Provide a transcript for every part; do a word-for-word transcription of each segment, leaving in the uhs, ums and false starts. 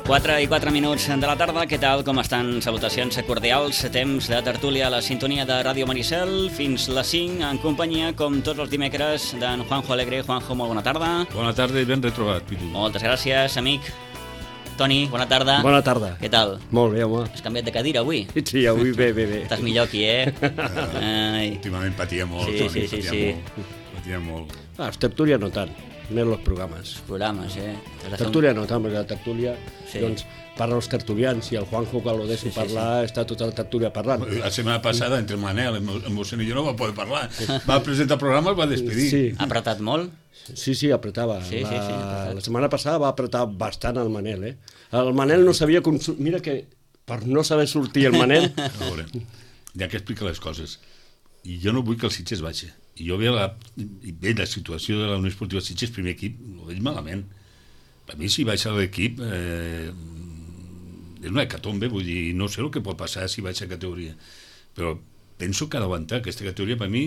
quatre i quatre minuts de la tarda, què tal, com estan? Salutacions cordials, temps de tertúlia a la sintonia de Ràdio Maricel, fins les cinc, en companyia, com tots els dimecres, d'en Juanjo Alegre. Juanjo, molt bona tarda. Bona tarda i ben retrobat, Pitu. Moltes gràcies, amic. Toni, bona tarda. Bona tarda. Què tal? Molt bé, home. Has canviat de cadira avui? Sí, avui bé, bé, bé. Estàs millor aquí, eh? Ai. Últimament patia molt, sí, Toni, sí, sí, patia sí. molt. Patia molt. Ah, els tertúlia no tant, més els programes. Programes, eh? Tertúlia no tant, perquè la tertúlia, sí. doncs, parla els tertulians, i el Juanjo, quan lo deixo sí, sí, parlar, sí. Està tota la tertúlia parlant. La setmana passada, entre Manel, el mossèn i jo no va poder parlar. Va presentar el programa, el va despedir. Sí. Ha apretat molt? Sí, sí, apretava. Sí, la, sí, sí, la setmana passada va apretar bastant el Manel, eh? El Manel no sabia... Consum... Mira que per no saber sortir el Manel... A veure, ja que explica les coses. I jo no vull que el Sitges baixi. I jo veig la, veig la situació de la Unió Esportiva Sitges, primer equip, ho veig malament. Per mi, si baixa l'equip, eh, és una hecatombe, vull dir, no sé el que pot passar si baixa categoria. Però penso que ha d'aguantar. Aquesta categoria, per mi,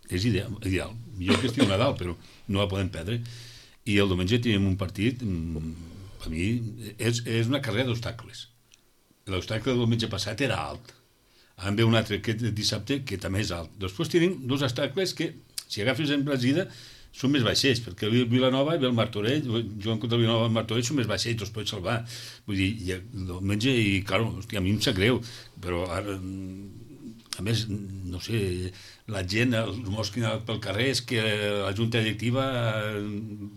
és ideal. ideal. Millor que estigui a Nadal, però no la podem perdre. I el diumenge tenim un partit, per mi, és, és una carrera d'obstacles. L'obstacle del diumenge passat era alt. En ve un altre aquest dissabte que també és alt. Després tenim dos obstacles que, si agafes en Brasida, són més baixets, perquè el Vilanova i el Martorell, jugant contra el Vilanova i el Martorell, són més baixets, els pots salvar. Vull dir, i el diumenge, i clar, hòstia, a mi em sap greu, però ara, a més, no sé, la gent, els morts que han pel carrer, és que la junta directiva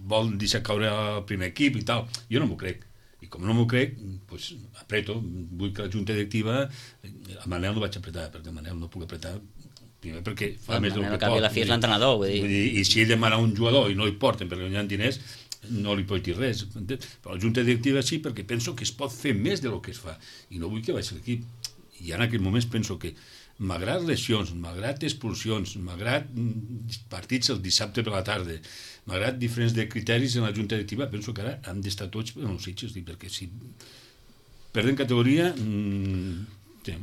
vol deixar caure el primer equip i tal. Jo no m'ho crec. I com no m'ho crec, doncs apreto. Vull que la junta directiva... A Manel no vaig apretar, perquè a Manel no puc apretar, primer perquè fa el més del que pot. Manel, la fi és l'entrenador, vull dir. Vull dir. I si ell demana un jugador i no li porten perquè no hi ha diners, no li pot dir res. Però la junta directiva sí, perquè penso que es pot fer més del que es fa. I no vull que baixi l'equip. I en aquests moments penso que, malgrat lesions, malgrat expulsions, malgrat partits el dissabte per la tarda, malgrat diferents de criteris en la junta directiva, penso que ara hem d'estar tots en els Sitges, perquè si perden categoria, mmm, sí,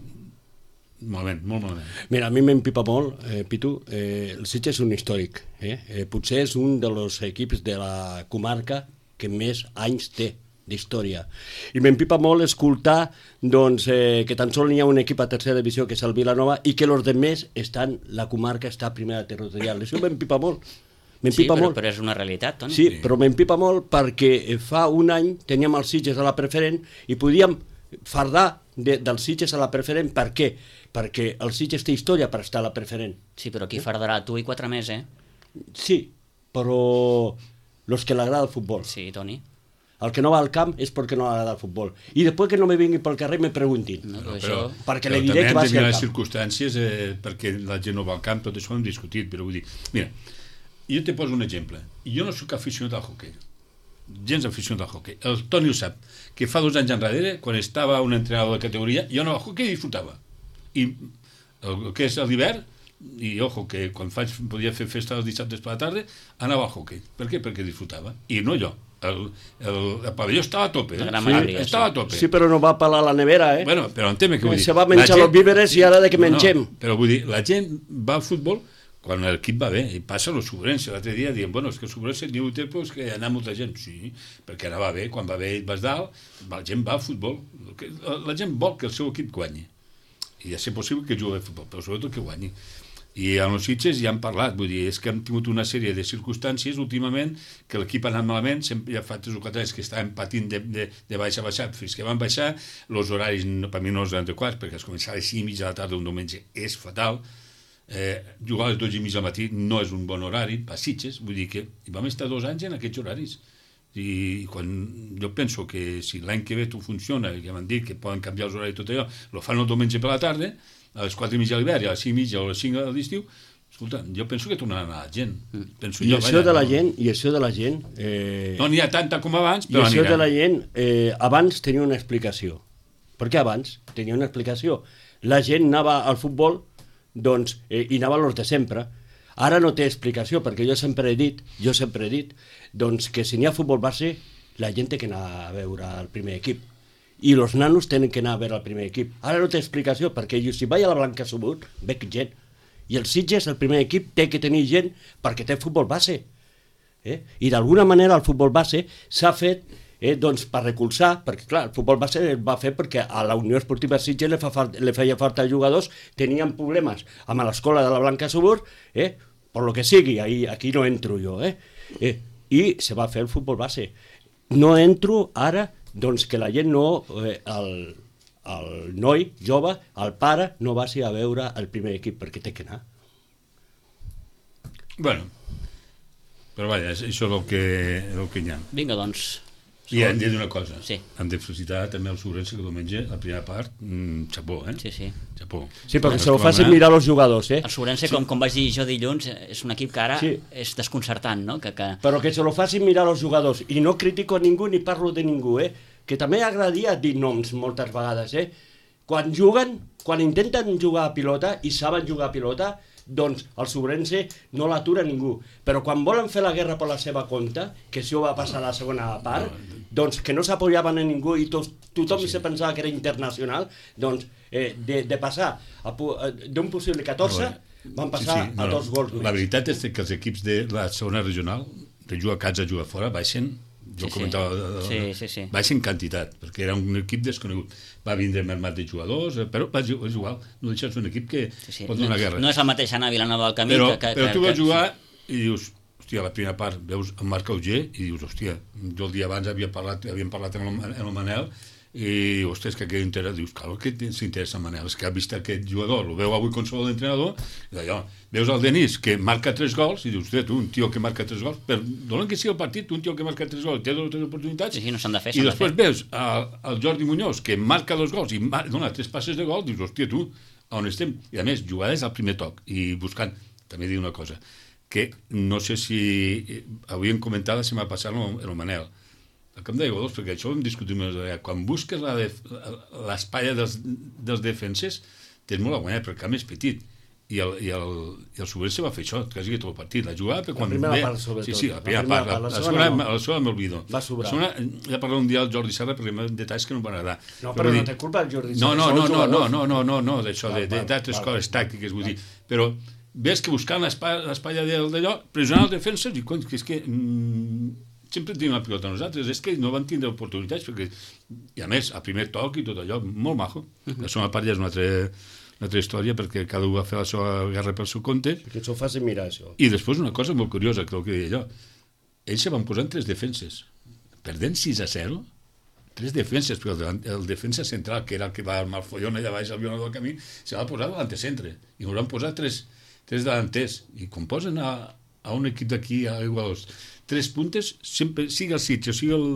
malament, molt malament. Mira, a mi m'empipa molt, eh, Pitu, eh, el Sitges és un històric, eh? Eh, potser és un dels equips de la comarca que més anys té d'història. I m'empipa molt escoltar doncs, eh, que tan sols n'hi ha un equip a tercera divisió, que és el Vilanova, i que els demés estan, la comarca està a primera territorial. Això m'empipa molt. Sí, però, però és una realitat, Toni. Sí, però m'empipa molt perquè fa un any teníem els Sitges a la preferent i podíem fardar de, dels Sitges a la preferent. Per què? Perquè el Sitges té història per estar a la preferent. Sí, però qui fardarà? Tu i quatre més, eh? Sí, però los que l'agrada el futbol. Sí, Toni. El que no va al camp és perquè no agrada el futbol. I després que no me vinguin pel carrer me preguntin. No, però, això... Perquè però li diré que va ser al les camp. circumstàncies eh, perquè la gent no va al camp, tot això ho hem discutit, però vull dir, mira, jo te poso un exemple. Jo no sóc aficionat al hoquei, gens aficionat al hoquei. El Toni ho sap, que fa dos anys enrere, quan estava un entrenador de categoria, jo no al hoquei disfrutava. I el que és l'hivern, i ojo, que quan faig, podia fer festa els dissabtes per la tarda, anava al hoquei. Per què? Perquè disfrutava. I no jo. El, el, el pavelló estava a tope, eh? Sí, estava a tope. Sí, però no va pelar la nevera, eh? Bueno, però entén-me què vull dir. Se va menjar els víveres i ara de que mengem. No, però vull dir, la gent va al futbol quan l'equip va bé, i passa a l'Ossuburense. L'altre dia diem, bueno, és que l'Ossuburense ni ho té, però és que anà molta gent. Sí, perquè ara va bé, quan va bé i vas dalt, la gent va al futbol. La gent vol que el seu equip guanyi. I ja sé possible que jugui al futbol, però sobretot que guanyi. I en els Sitges ja han parlat, vull dir, és que hem tingut una sèrie de circumstàncies últimament que l'equip ha anat malament, sempre ja fa tres o quatre anys que estaven patint de, de, de baixa a baixar, fins que van baixar, els horaris no, per mi no els adequats, perquè es comença a les cinc i mitja de la tarda un diumenge és fatal, eh, jugar a les dotze i mitja del matí no és un bon horari, per Sitges, vull dir que vam estar dos anys en aquests horaris. I quan jo penso que si l'any que ve tot funciona, que m'han dit que poden canviar els horaris i tot allò, lo fan el diumenge per la tarda, a les quatre i mitja a l'hivern i a les cinc i mitja o a les cinc a l'estiu, escolta, jo penso que tornaran a la gent. Penso I, jo, això vaja, de la no, gent, I això de la gent... Eh, no n'hi ha tanta com abans, I però això anirà. de la gent, eh, abans tenia una explicació. Per què abans tenia una explicació? La gent anava al futbol, doncs, eh, i anava a los de sempre. Ara no té explicació, perquè jo sempre he dit, jo sempre he dit, doncs que si n'hi ha futbol base, la gent té que anar a veure el primer equip. I els nanos tenen que anar a veure el primer equip. Ara no té explicació, perquè jo, si vaig a la Blanca Subut, veig gent. I el Sitges, el primer equip, té que tenir gent perquè té futbol base. Eh? I d'alguna manera el futbol base s'ha fet eh, doncs per recolzar, perquè clar, el futbol base es va fer perquè a la Unió Esportiva Sitges li, fa fart, li feia falta jugadors, tenien problemes amb l'escola de la Blanca Subur, eh, per lo que sigui, ahí, aquí no entro jo, eh, eh, i se va fer el futbol base. No entro ara, doncs que la gent no, eh, el, el noi jove, el pare, no vagi a veure el primer equip, perquè té que anar. Bueno, però vaja, això és el que, el que hi ha. Vinga, doncs. I hem de dir una cosa, sí. Hem de felicitar també el Sobrense que diumenge, la primera part, mmm, xapó, eh? Sí, sí. Xapó. Sí, perquè se ho facin mirar els jugadors, eh? El Sobrense, sí. com, com vaig dir jo dilluns, és un equip que ara sí. és desconcertant, no? Que, que... Però que se lo facin mirar els jugadors, i no critico a ningú ni parlo de ningú, eh? Que també agradaria dir noms moltes vegades, eh? Quan juguen, quan intenten jugar a pilota i saben jugar a pilota, doncs el Sobrense no l'atura ningú. Però quan volen fer la guerra per la seva compte, que això va passar a la segona part, doncs que no s'apoyaven a ningú i to tothom sí, sí. se pensava que era internacional, doncs eh, de, de passar d'un possible catorze van passar sí, sí. No, a dos gols. La veritat és que els equips de la segona regional, de jugar a casa a jugar fora, baixen, jo sí, comentava, sí. Sí, sí, sí. baixen quantitat, perquè era un equip desconegut. Va vindre mermat de jugadors, però és igual, no deixes un equip que sí, sí. pot donar no, guerra. No és el mateix anar a Vilanova del Camí però, que... que però tu que, vas jugar i dius, hòstia, a la primera part veus en Marc Auger i dius, hòstia, jo el dia abans havia parlat, havíem parlat amb el, amb el Manel i, ostres, que aquest interès, dius, clar, que s'interessa en Manel, és que ha vist aquest jugador, el veu avui com sou l'entrenador, i d'allò, veus el Denis, que marca tres gols, i dius, ostres, tu, un tio que marca tres gols, per donar que sigui el partit, un tio que marca tres gols, té dues o tres oportunitats, sí, sí, no s'han de fer, i després de fer. veus el, el Jordi Muñoz, que marca dos gols i dona tres passes de gol, dius, hòstia, tu, on estem? I a més, jugades al primer toc, i buscant, també dir una cosa, que no sé si havíem comentat la setmana passada en el Manel, el camp de jugadors, perquè això ho hem discutit més d'allà. Quan busques l'espatlla dels, dels defenses, tens molt a guanyar, perquè el camp és petit. I el, i el, i el Sobrense va fer això, quasi tot el partit. La jugada, però quan la primera ve... part, sobretot. Sí, sí, la primera, la primera part. part. La, la segona, no. la segona m'olvido. Va sobrar. La segona, ja parlo un dia al Jordi Serra, perquè hi ha detalls que no em van agradar. No, però, però no té culpa el Jordi Serra. No, no, no, no, no, no, no, no, no, d'això, d'altres coses tàctiques, vull dir. Però ves que buscant l'espatlla d'allò, pressionar els defenses, i que és que... Mm, sempre tenim la pilota nosaltres, és que no van tindre oportunitats, perquè, i a més, a primer toc i tot allò, molt majo. Uh-huh. La segona part ja és una altra, una altra història, perquè cada un va fer la seva guerra pel seu compte. Que això ho faci mirar, això. I després una cosa molt curiosa, que el que deia allò, ells se van posar en tres defenses, perdent sis a zero, tres defenses, però el, el defensa central, que era el que va armar el follon allà baix al Vilanova del Camí, se va posar a l'antecentre, i ens van posar tres, tres delanters, i quan posen a, a un equip d'aquí, a Igualos, tres puntes, sempre, sigui el Sitges o sigui el,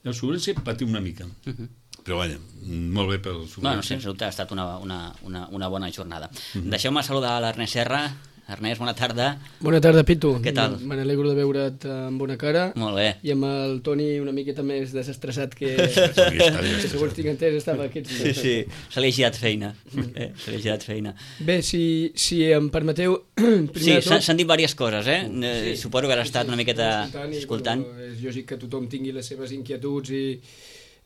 el Sobrense, patim una mica. Uh-huh. Però vaja, molt bé pel Sobrense. Bueno, sense dubte ha estat una, una, una, una bona jornada. Uh-huh. Deixeu-me saludar l'Ernest Serra. Ernest, bona tarda. Bona tarda, Pitu. Què tal? Me n'alegro de veure't amb bona cara. Molt bé. I amb el Toni una miqueta més desestressat que... que segons tinc entès estava aquests... Sí, sí, se li ha girat feina. Eh? Se li ha girat feina. Bé, si, si em permeteu... Sí, s'han tot... dit diverses coses, eh? Sí, suposo que has estat sí, una miqueta escoltant. escoltant. És lògic que tothom tingui les seves inquietuds i...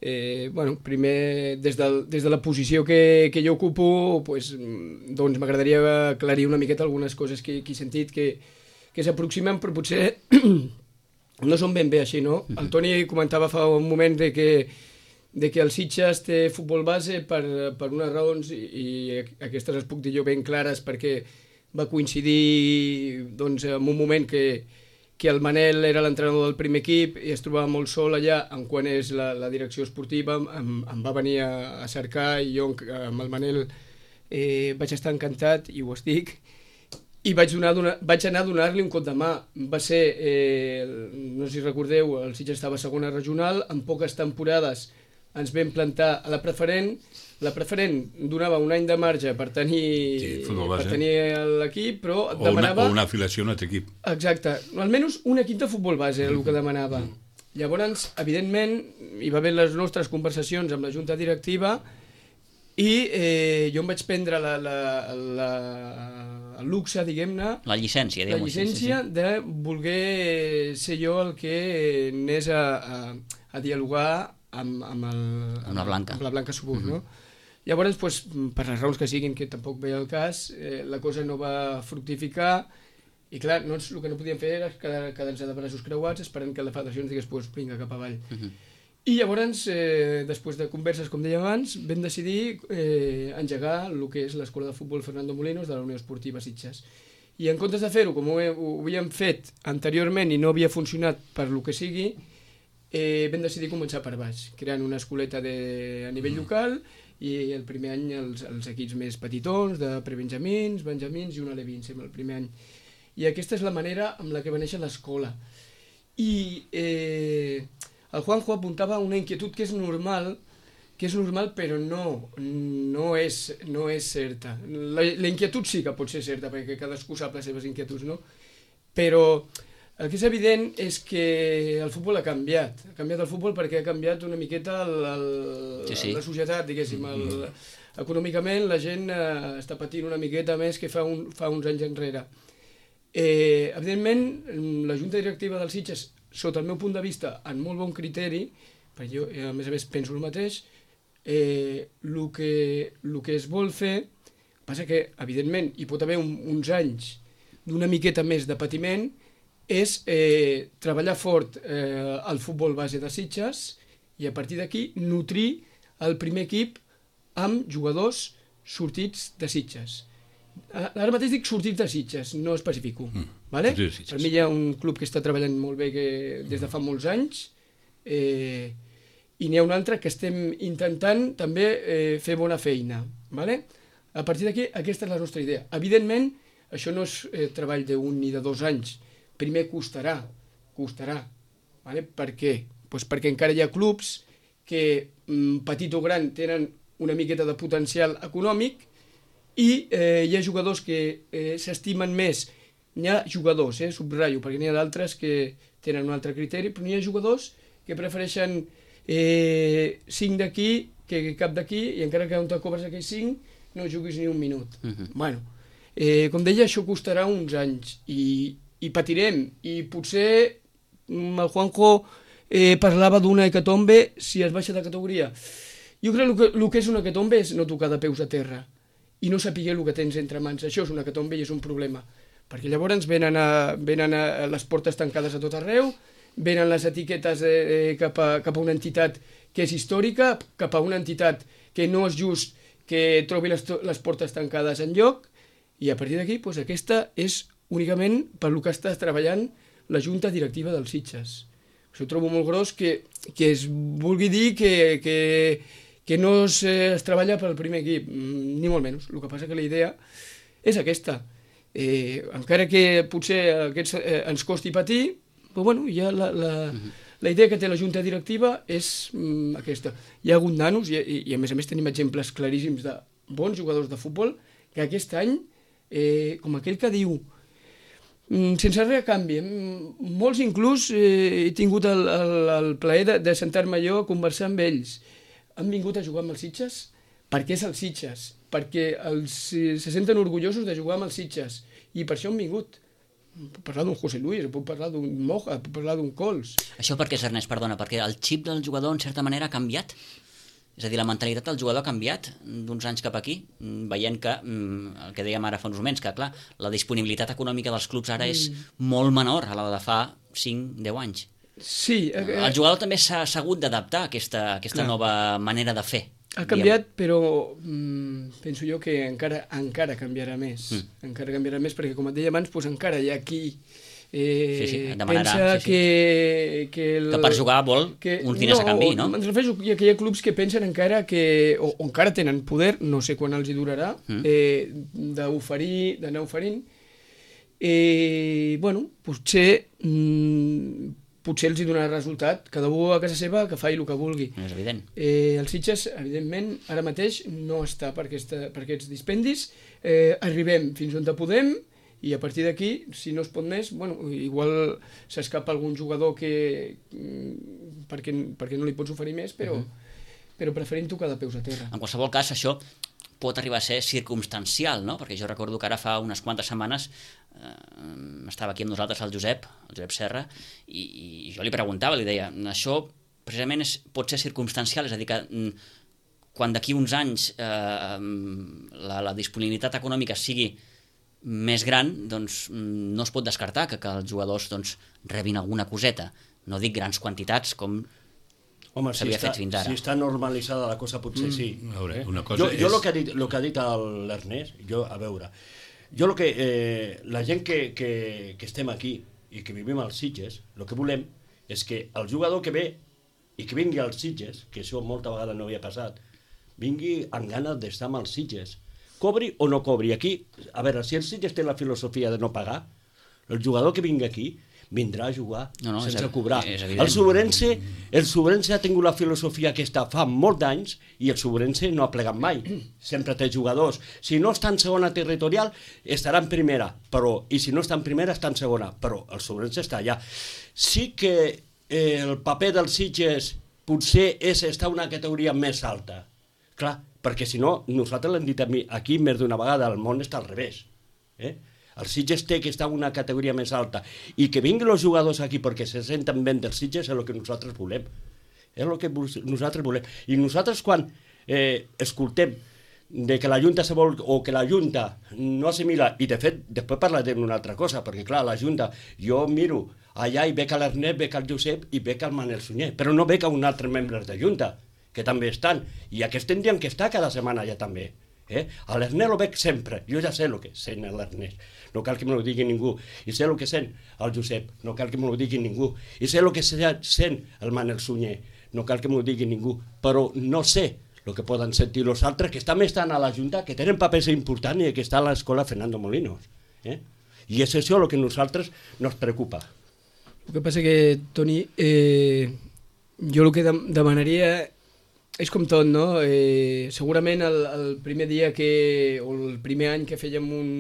Eh, bueno, primer, des, del, des de la posició que, que jo ocupo, pues, doncs m'agradaria aclarir una miqueta algunes coses que, que he sentit que, que s'aproximen, però potser no són ben bé així, no? El Toni comentava fa un moment de que, de que el Sitges té futbol base per, per unes raons, i, i aquestes les puc dir jo ben clares, perquè va coincidir doncs, en un moment que que el Manel era l'entrenador del primer equip i es trobava molt sol allà en quan és la, la direcció esportiva, em, em va venir a, a cercar i jo amb el Manel eh, vaig estar encantat i ho estic i vaig, donar, donar, vaig anar a donar-li un cop de mà. Va ser, eh, no sé si recordeu, el Sitges estava a segona regional, en poques temporades ens vam plantar a la preferent. La preferent donava un any de marge per tenir, sí, per tenir l'equip, però et demanava... O una, o una afiliació a un altre equip. Exacte. Almenys un equip de futbol base era el que demanava. Mm. Llavors, evidentment, hi va haver les nostres conversacions amb la junta directiva i eh, jo em vaig prendre la, la, la, el luxe, diguem-ne... La llicència, diguem-ho. La llicència sí, sí, sí. de voler ser jo el que anés a, a, a dialogar amb, amb, el, amb la Blanca, amb la Blanca Subur, mm-hmm. no? Llavors, pues, per les raons que siguin, que tampoc veia el cas, eh, la cosa no va fructificar i clar, no, el que no podíem fer era quedar-nos de braços creuats esperant que la federació ens digués, pues, vinga, cap avall. Uh-huh. I llavors, eh, després de converses, com deia abans, vam decidir eh, engegar el que és l'escola de futbol Fernando Molinos de la Unió Esportiva Sitges. I en comptes de fer-ho, com ho, ho havíem fet anteriorment i no havia funcionat per lo que sigui, eh, vam decidir començar per baix, creant una escoleta de, a nivell local, i el primer any els, els equips més petitons, de prebenjamins, benjamins i un alevín, sembla, el primer any. I aquesta és la manera amb la que va néixer l'escola. I eh, el Juanjo apuntava una inquietud que és normal, que és normal però no, no, és, no és certa. La, la inquietud sí que pot ser certa, perquè cadascú sap les seves inquietuds, no? Però el que és evident és que el futbol ha canviat. Ha canviat el futbol perquè ha canviat una miqueta el, el, sí, sí. la societat, diguéssim. El, econòmicament la gent eh, està patint una miqueta més que fa, un, fa uns anys enrere. Eh, evidentment, la Junta Directiva dels Sitges, sota el meu punt de vista, en molt bon criteri, perquè jo, a més a més, penso el mateix, eh, el que, el que es vol fer, passa que, evidentment, hi pot haver un, uns anys d'una miqueta més de patiment, és eh, treballar fort eh, al futbol base de Sitges i a partir d'aquí nutrir el primer equip amb jugadors sortits de Sitges. Ara mateix dic sortits de Sitges, no especifico. Mm. Vale? Per mi hi ha un club que està treballant molt bé que, des de fa molts anys eh, i n'hi ha un altre que estem intentant també eh, fer bona feina. Vale? A partir d'aquí, aquesta és la nostra idea. Evidentment, això no és eh, treball d'un ni de dos anys. Primer costarà, costarà. Vale? Per què? Pues perquè encara hi ha clubs que, petit o gran, tenen una miqueta de potencial econòmic i eh, hi ha jugadors que eh, s'estimen més. N'hi ha jugadors, eh, subratllo, perquè n'hi ha d'altres que tenen un altre criteri, però n'hi ha jugadors que prefereixen eh, cinc d'aquí que cap d'aquí, i encara que on te cobres aquells cinc, no juguis ni un minut. Uh-huh. Bueno, eh, com deia, això costarà uns anys i i patirem, i potser el Juanjo eh, parlava d'una hecatombe si es baixa de categoria. Jo crec que el que és una hecatombe és no tocar de peus a terra i no saber el que tens entre mans. Això és una hecatombe i és un problema, perquè llavors venen, a, venen a les portes tancades a tot arreu, venen les etiquetes eh, cap, a, cap a una entitat que és històrica, cap a una entitat que no és just que trobi les, les portes tancades en lloc, i a partir d'aquí doncs, aquesta és únicament per lo que està treballant la Junta Directiva dels Sitges. Això ho trobo molt gros que, que es vulgui dir que, que, que no es, es treballa pel primer equip, ni molt menys. El que passa que la idea és aquesta. Eh, encara que potser aquests, eh, ens costi patir, però bueno, ja la, la, uh-huh. la idea que té la Junta Directiva és mm, aquesta. Hi ha hagut nanos, i, i, i a més a més tenim exemples claríssims de bons jugadors de futbol, que aquest any, eh, com aquell que diu, sense res a canvi. Molts inclús eh, he tingut el, el, el plaer de, de sentar-me jo a conversar amb ells. Han vingut a jugar amb els Sitges perquè és els Sitges, perquè els, se senten orgullosos de jugar amb els Sitges i per això han vingut. Puc parlar d'un José Luis, puc parlar d'un Moja, puc parlar d'un Cols. Això per què és, Ernest? Perdona, perquè el xip del jugador en certa manera ha canviat? És a dir, la mentalitat del jugador ha canviat d'uns anys cap aquí, veient que, el que dèiem ara fa uns moments, que clar, la disponibilitat econòmica dels clubs ara és molt menor a la de fa cinc a deu anys. Sí. Eh, el jugador també s'ha hagut d'adaptar a aquesta, aquesta nova manera de fer. Ha canviat, diguem. Però mm, penso jo que encara encara canviarà més. Mm. Encara canviarà més, perquè com et deia abans, doncs encara hi ha qui Eh, sí, sí, demanarà, pensa sí, sí. Que, que, el, que per jugar vol que, uns diners no, a canvi, no? Em refereixo que hi ha clubs que pensen encara que, o, o encara tenen poder, no sé quan els hi durarà, mm. eh, d'oferir, d'anar oferint. Eh, bueno, potser, mm, potser els hi donarà resultat, cada un a casa seva que faci el que vulgui. És evident. Eh, els Sitges, evidentment, ara mateix no està per, aquesta, per aquests dispendis. Eh, arribem fins on podem, i a partir d'aquí, si no es pot més, bueno, igual s'escapa algun jugador que perquè, perquè no li pots oferir més, però, uh-huh. però preferim tocar de peus a terra. En qualsevol cas, això pot arribar a ser circumstancial, no? Perquè jo recordo que ara fa unes quantes setmanes eh, estava aquí amb nosaltres el Josep, el Josep Serra, i, i jo li preguntava, li deia, això precisament és, pot ser circumstancial, és a dir que quan d'aquí uns anys eh, la, la disponibilitat econòmica sigui més gran, doncs no es pot descartar que, que els jugadors doncs, rebin alguna coseta. No dic grans quantitats com Home, si s'havia està, fet fins ara. si està normalitzada la cosa, potser sí. A veure, una Jo, cosa jo és... el que ha dit, lo que ha dit el- l'Ernest, jo, a veure, jo el que, eh, la gent que, que, que estem aquí i que vivim als Sitges, el que volem és que el jugador que ve i que vingui als Sitges, que això molta vegada no havia passat, vingui amb ganes d'estar amb els Sitges, cobri o no cobri. Aquí, a veure, si el Sitges té la filosofia de no pagar, el jugador que vingui aquí vindrà a jugar No, no, és sense ev- cobrar. és evident. El Sobrense, el Sobrense ha tingut la filosofia aquesta fa molt d'anys i el Sobrense no ha plegat mai. Sempre té jugadors. Si no està en segona territorial, estarà en primera, però, i si no està en primera, està en segona, però el Sobrense està allà. Sí que eh, el paper dels Sitges potser és estar una categoria més alta. Clar, perquè si no, nosaltres l'hem dit a mi, aquí més d'una vegada, el món està al revés. Eh? El Sitges té que estar en una categoria més alta i que vinguin els jugadors aquí perquè se senten ben dels Sitges és el que nosaltres volem. És el que nosaltres volem. I nosaltres quan eh, escoltem de que la Junta se vol, o que la Junta no assimila, i de fet després parlarem d'una altra cosa, perquè clar, la Junta, jo miro allà i veig a l'Ernest, veig al Josep i veig al Manel Sunyer, però no veig a un altre membre de Junta, que també estan, i aquests tindrien que estar cada setmana allà també. Eh? A l'Ernest lo veig sempre, jo ja sé el que sent l'Ernest, no cal que me lo digui ningú, i sé el que sent el Josep, no cal que me lo digui ningú, i sé el que sent el Manel Sunyer, no cal que me lo digui ningú, però no sé el que poden sentir els altres que també estan a la Junta, que tenen papers importants i que està a l'escola Fernando Molinos. Eh? I és això el que a nosaltres nos preocupa. El que passa que, Toni, eh, jo el que demanaria és com tot, no? Eh, segurament el, el primer dia que, o el primer any que fèiem un,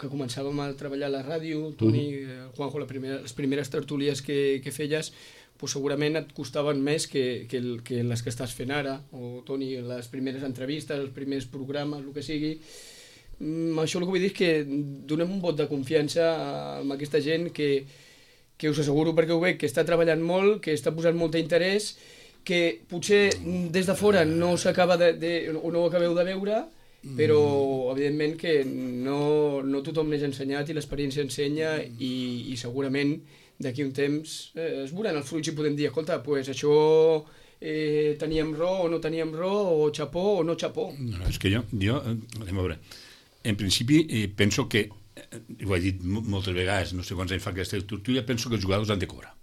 que començàvem a treballar a la ràdio, Toni, uh-huh. Juanjo, la primera, les primeres tertúlies que, que feies, pues segurament et costaven més que, que, el, que les que estàs fent ara, o Toni, les primeres entrevistes, els primers programes, el que sigui. Mm, això el que vull dir és que donem un vot de confiança amb aquesta gent que, que us asseguro perquè ho veig, que està treballant molt, que està posant molt d'interès, que potser des de fora no s'acaba de, de, o no ho acabeu de veure, però evidentment que no, no tothom n'és ensenyat i l'experiència ensenya i, i segurament d'aquí un temps eh, es veuran els fruits i podem dir, escolta, pues això eh, teníem raó o no teníem raó, o xapó o no xapó. No, no, és que jo, jo anem a veure, en principi eh, penso que, eh, ho he dit moltes vegades, no sé quants anys fa aquesta tertúlia, penso que els jugadors han de cobrar.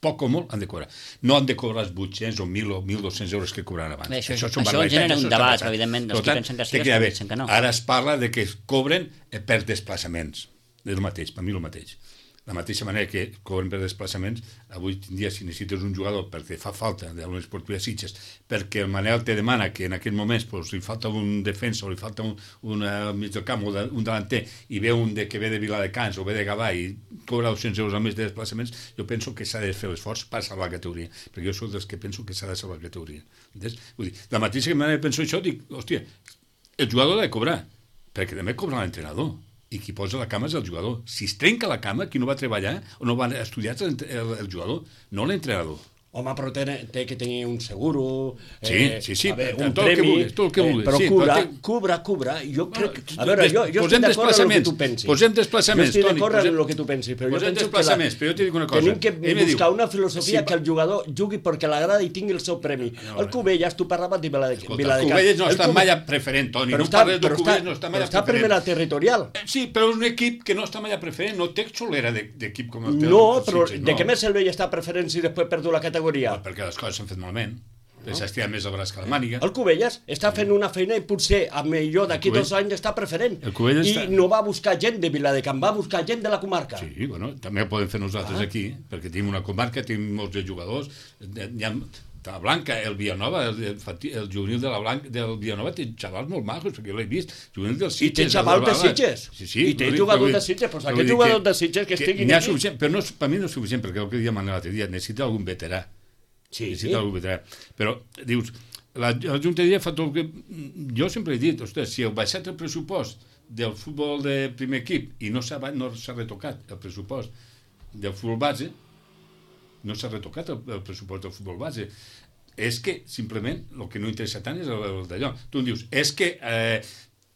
Poc o molt han de cobrar. No han de cobrar els vuit-cents o mil o mil dos-cents euros que cobraven abans. Bé, això, això, això, això genera un debat, però evidentment els que pensen que sí, els que pensen que no. Ara es parla de que es cobren per desplaçaments. És el mateix, per mi el mateix. La mateixa manera que cobren per desplaçaments, avui en dia si necessites un jugador perquè fa falta de l'Unió Esportiva Sitges, perquè el Manel te demana que en aquest moment pues, li falta un defensa o li falta un, un uh, mig del camp o de, un delanter i ve un de, que ve de Viladecans o ve de Gavà i cobra dos-cents euros al mes de desplaçaments, jo penso que s'ha de fer l'esforç per salvar la categoria, perquè jo soc dels que penso que s'ha de salvar la categoria. Entens? Vull dir, de la mateixa manera que penso això, dic, hòstia, el jugador ha de cobrar, perquè també cobra l'entrenador. I qui posa la cama és el jugador. Si es trenca la cama, qui no va treballar o no va estudiar el, el, el jugador, no l'entrenador. Home, però té, té que tenir un seguro, sí, eh, sí, sí, veure, tot un el que premi, vulguis, tot el que vulguis, eh, però sí, cobra, però té... cobra, cobra, jo crec... Bueno, a veure, jo, jo estic d'acord amb el que tu pensis. Posem desplaçaments, jo estic Toni. d'acord amb el que tu pensis, però jo penso que la... però jo t'hi dic una cosa. tenim que Ell buscar diu, una filosofia si que el jugador jugui perquè l'agrada i tingui el seu premi. No, el Cubelles, tu parlaves de Viladecans. Escolta, el Cubelles no està mai a preferent, Toni. No parles del Cubelles, no està mai a preferent. Però està a primera territorial. Sí, però és un equip que no està mai a preferent, no té xolera d'equip com el teu. No, però de què més el veia està a preferent si després perdu la categoria? Perquè les coses s'han fet malament. No? S'ha estirat més el braç que la màniga. El Cubelles està fent una feina i potser a millor d'aquí dos anys està preferent. I està... no va buscar gent de Viladecans, va buscar gent de la comarca. Sí, bueno, també ho podem fer nosaltres ah. aquí, perquè tenim una comarca, tenim molts de jugadors, hi ha la Blanca, el Villanova, el, el, el juvenil de la Blanca, del Villanova té xavals molt majos, perquè jo l'he vist, juvenil dels Sitges. I té xavals de Sitges. Sí, sí, I té jugadors de Sitges, doncs aquests jugadors de Sitges que estiguin aquí. Però no, per mi no és suficient, perquè el que deia Manel l'altre dia, necessita algun veterà. Sí, necessita sí. algun veterà. Però, dius, la, la Junta de dia fa tot el que... Jo sempre he dit, ostres, si heu baixat el pressupost del futbol de primer equip i no s'ha no s'ha retocat el pressupost del futbol base, no s'ha retocat el, el pressupost del futbol base, és que simplement el que no interessa tant és el, el d'allò. Tu em dius, és que eh,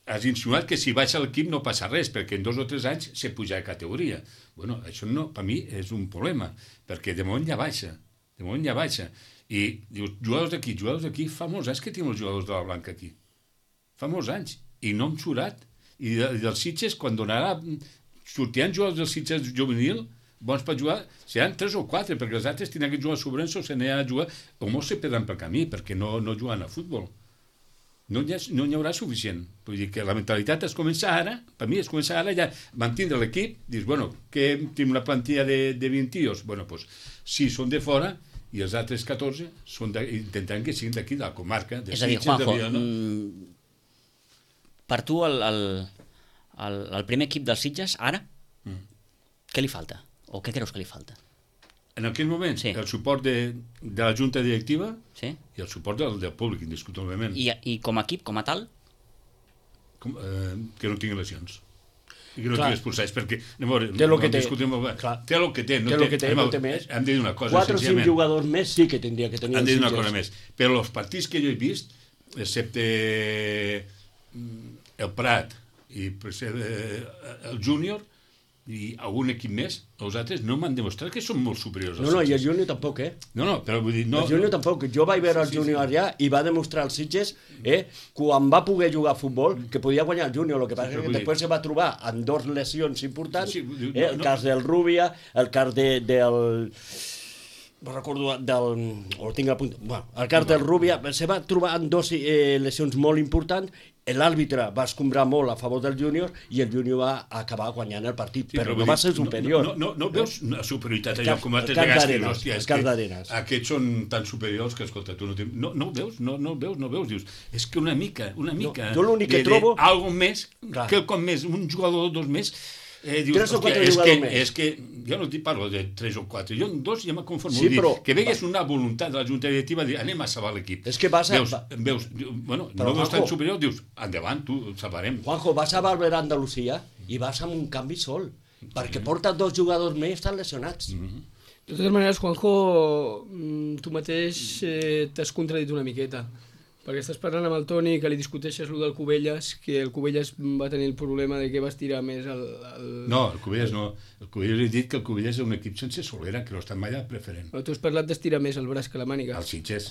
has insinuat que si baixa l'equip no passa res, perquè en dos o tres anys se puja de categoria. Bueno, això no, per mi és un problema, perquè de moment ja baixa. De moment ja baixa. I dius, jugadors d'aquí, jugadors d'aquí, fa molts anys que tenim els jugadors de la Blanca aquí. Fa molts anys. I no hem xurat. I, de, i dels Sitges, quan donarà... Sortiran jugadors dels Sitges juvenil, bons per jugar, seran tres o quatre, perquè els altres tindran que jugar a Sobrenso, se n'hi ha a jugar, o molts se perdran pel camí, perquè no, no juguen a futbol. No hi, ha, no hi haurà suficient. Vull dir que la mentalitat es comença ara, per mi es comença ara, ja mantindre l'equip, dius, bueno, que tenim una plantilla de, de vint tios, bueno, doncs, sis són de fora, i els altres catorze són de, intentaran que siguin d'aquí, de la comarca. De és a dir, Sitges, Juanjo, de, no? mm, per tu el, el, el, el primer equip dels Sitges, ara, mm. què li falta? O què creus que li falta? En aquell moment, sí. El suport de, de la Junta Directiva sí. I el suport del, del públic, indiscutiblement. I, I com a equip, com a tal? Com, eh, que no tingui lesions. I que no tingui expulsats, perquè... No, no, té el no, que té. Clar. Té el que té. No té, té, que té, anem, no té més. Hem de dir una cosa, quatre o cinc jugadors més sí que tindria que tenir hem els de dir una Sitges. cosa més. Però els partits que jo he vist, excepte el Prat i el Júnior i algun equip més, els altres no m'han demostrat que són molt superiors als No, no, Sitges. i el Júnior tampoc, eh? No, no, però vull dir... No, el Júnior tampoc. Jo vaig veure el sí, Júnior sí. allà i va demostrar als Sitges, eh, quan va poder jugar a futbol, que podia guanyar el Júnior. El que passa Sí, és que després se va trobar amb dos lesions importants, Sí, sí, eh, el no, no. cas del Rubia, el cas de, del... No recordo del... O tinc a punt... Bueno, el cas del Rubia se va trobar amb dos eh, lesions molt importants. L'àrbitre va escombrar molt a favor del Júnior i el Júnior va acabar guanyant el partit, Sí, però vull no va dir, ser superior. No, no, no, no veus una superioritat El allò cas- com altres el cas vegades que d'Arenas, hòstia, el és cas que d'Arenas. aquests són tan superiors que, escolta, tu no tens... No, no ho veus, no, no ho veus, no ho veus, dius, és que una mica, una mica... jo l'únic que de, trobo- De, algo més, Clar. quelcom més, un jugador o dos més... Eh, dius, Tres o hòstia, quatre és que, jugadors més. és que jo no t'hi parlo de tres o quatre, jo en dos ja me conformo. Sí, dir, però- que vegues una voluntat de la Junta Directiva de dir, anem a salvar l'equip. És que vas a- Veus, veus, bueno, Però, no veus tan Juanjo- superior, dius, endavant, tu, el salvarem. Juanjo, vas a Valver Andalusia i vas amb un canvi sol, perquè porta dos jugadors més estan lesionats. Mm-hmm. De totes maneres, Juanjo, mm, tu mateix eh, t'has contradit una miqueta, perquè estàs parlant amb el Toni, que li discuteixes lo del Cubelles, que el Cubelles va tenir el problema de que va estirar més el... el... No, el Cubelles no. El Cubelles he dit que el Cubelles és un equip sense solera, que no està mai al preferent. Però tu has parlat d'estirar més el braç que la màniga. Els Sitges.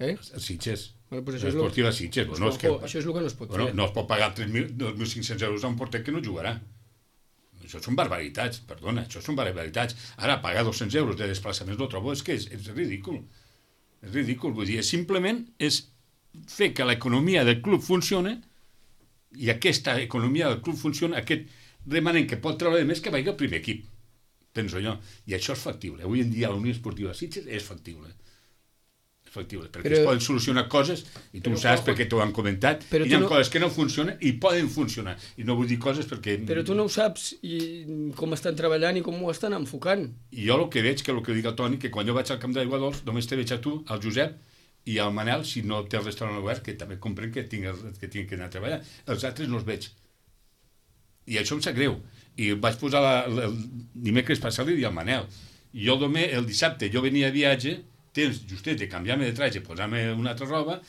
Eh? Els Sitges. Bueno, pues això és lo- L'esportiva Sitges. Pues, Bueno, és que, Juanjo, això és el que no es pot bueno, fer. no es pot pagar tres mil, dos mil cinc-cents euros a un porter que no jugarà. Això són barbaritats, perdona, això són barbaritats. Ara, pagar dos-cents euros de desplaçaments no trobo, és que és, és ridícul. És ridícul, vull dir, simplement és fer que l'economia del club funcione i aquesta economia del club funciona, aquest remanent que pot treure de més que vagi al primer equip, penso jo. I això és factible. Avui en dia la Unió Esportiva Sitges és factible. És factible, perquè Però- es poden solucionar coses, i tu ho saps perquè t'ho han comentat, Però i hi ha tu no- coses que no funcionen i poden funcionar. I no vull dir coses perquè... Però tu no ho saps i com estan treballant i com ho estan enfocant. I jo el que veig, que el que dic al Toni, que quan jo vaig al camp d'Aigua Dols, només te veig a tu, al Josep, i al Manel, si no té el restaurant obert, que també comprenc que tinc, que tinc que anar a treballar. Els altres no els veig. I això em sap greu. I vaig posar la, la, el dimecres passat li al Manel. I jo el, el dissabte jo venia a viatge, temps justet de canviar-me de traje, posar-me una altra roba,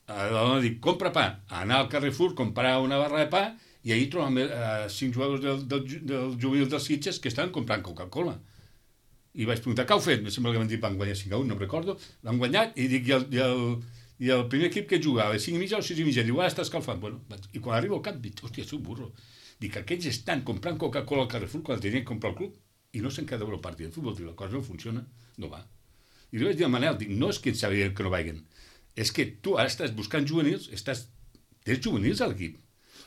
a la dona dic, compra pa, anar al Carrefour, comprar una barra de pa, i ahir trobam eh, cinc jugadors del, del, del juvenil dels Sitges que estaven comprant Coca-Cola. I vaig preguntar, què heu fet? Em sembla que m'han dit, van guanyar cinc a un, no em recordo. L'han guanyat, i dic, i el, i el, i el primer equip que jugava, a les cinc i mitja o sis i mitja, diu, ara està escalfant. Bueno, i quan arribo al cap, dic, hòstia, sóc burro. Dic, aquests estan comprant Coca-Cola al Carrefour quan tenien que comprar el club i no se'n queda el partit de futbol. Dic, la cosa no funciona, no va. I li vaig dir a Manel, dic, no és que ens sabien que no vagin, és que tu ara estàs buscant juvenils, estàs... tens juvenils a l'equip.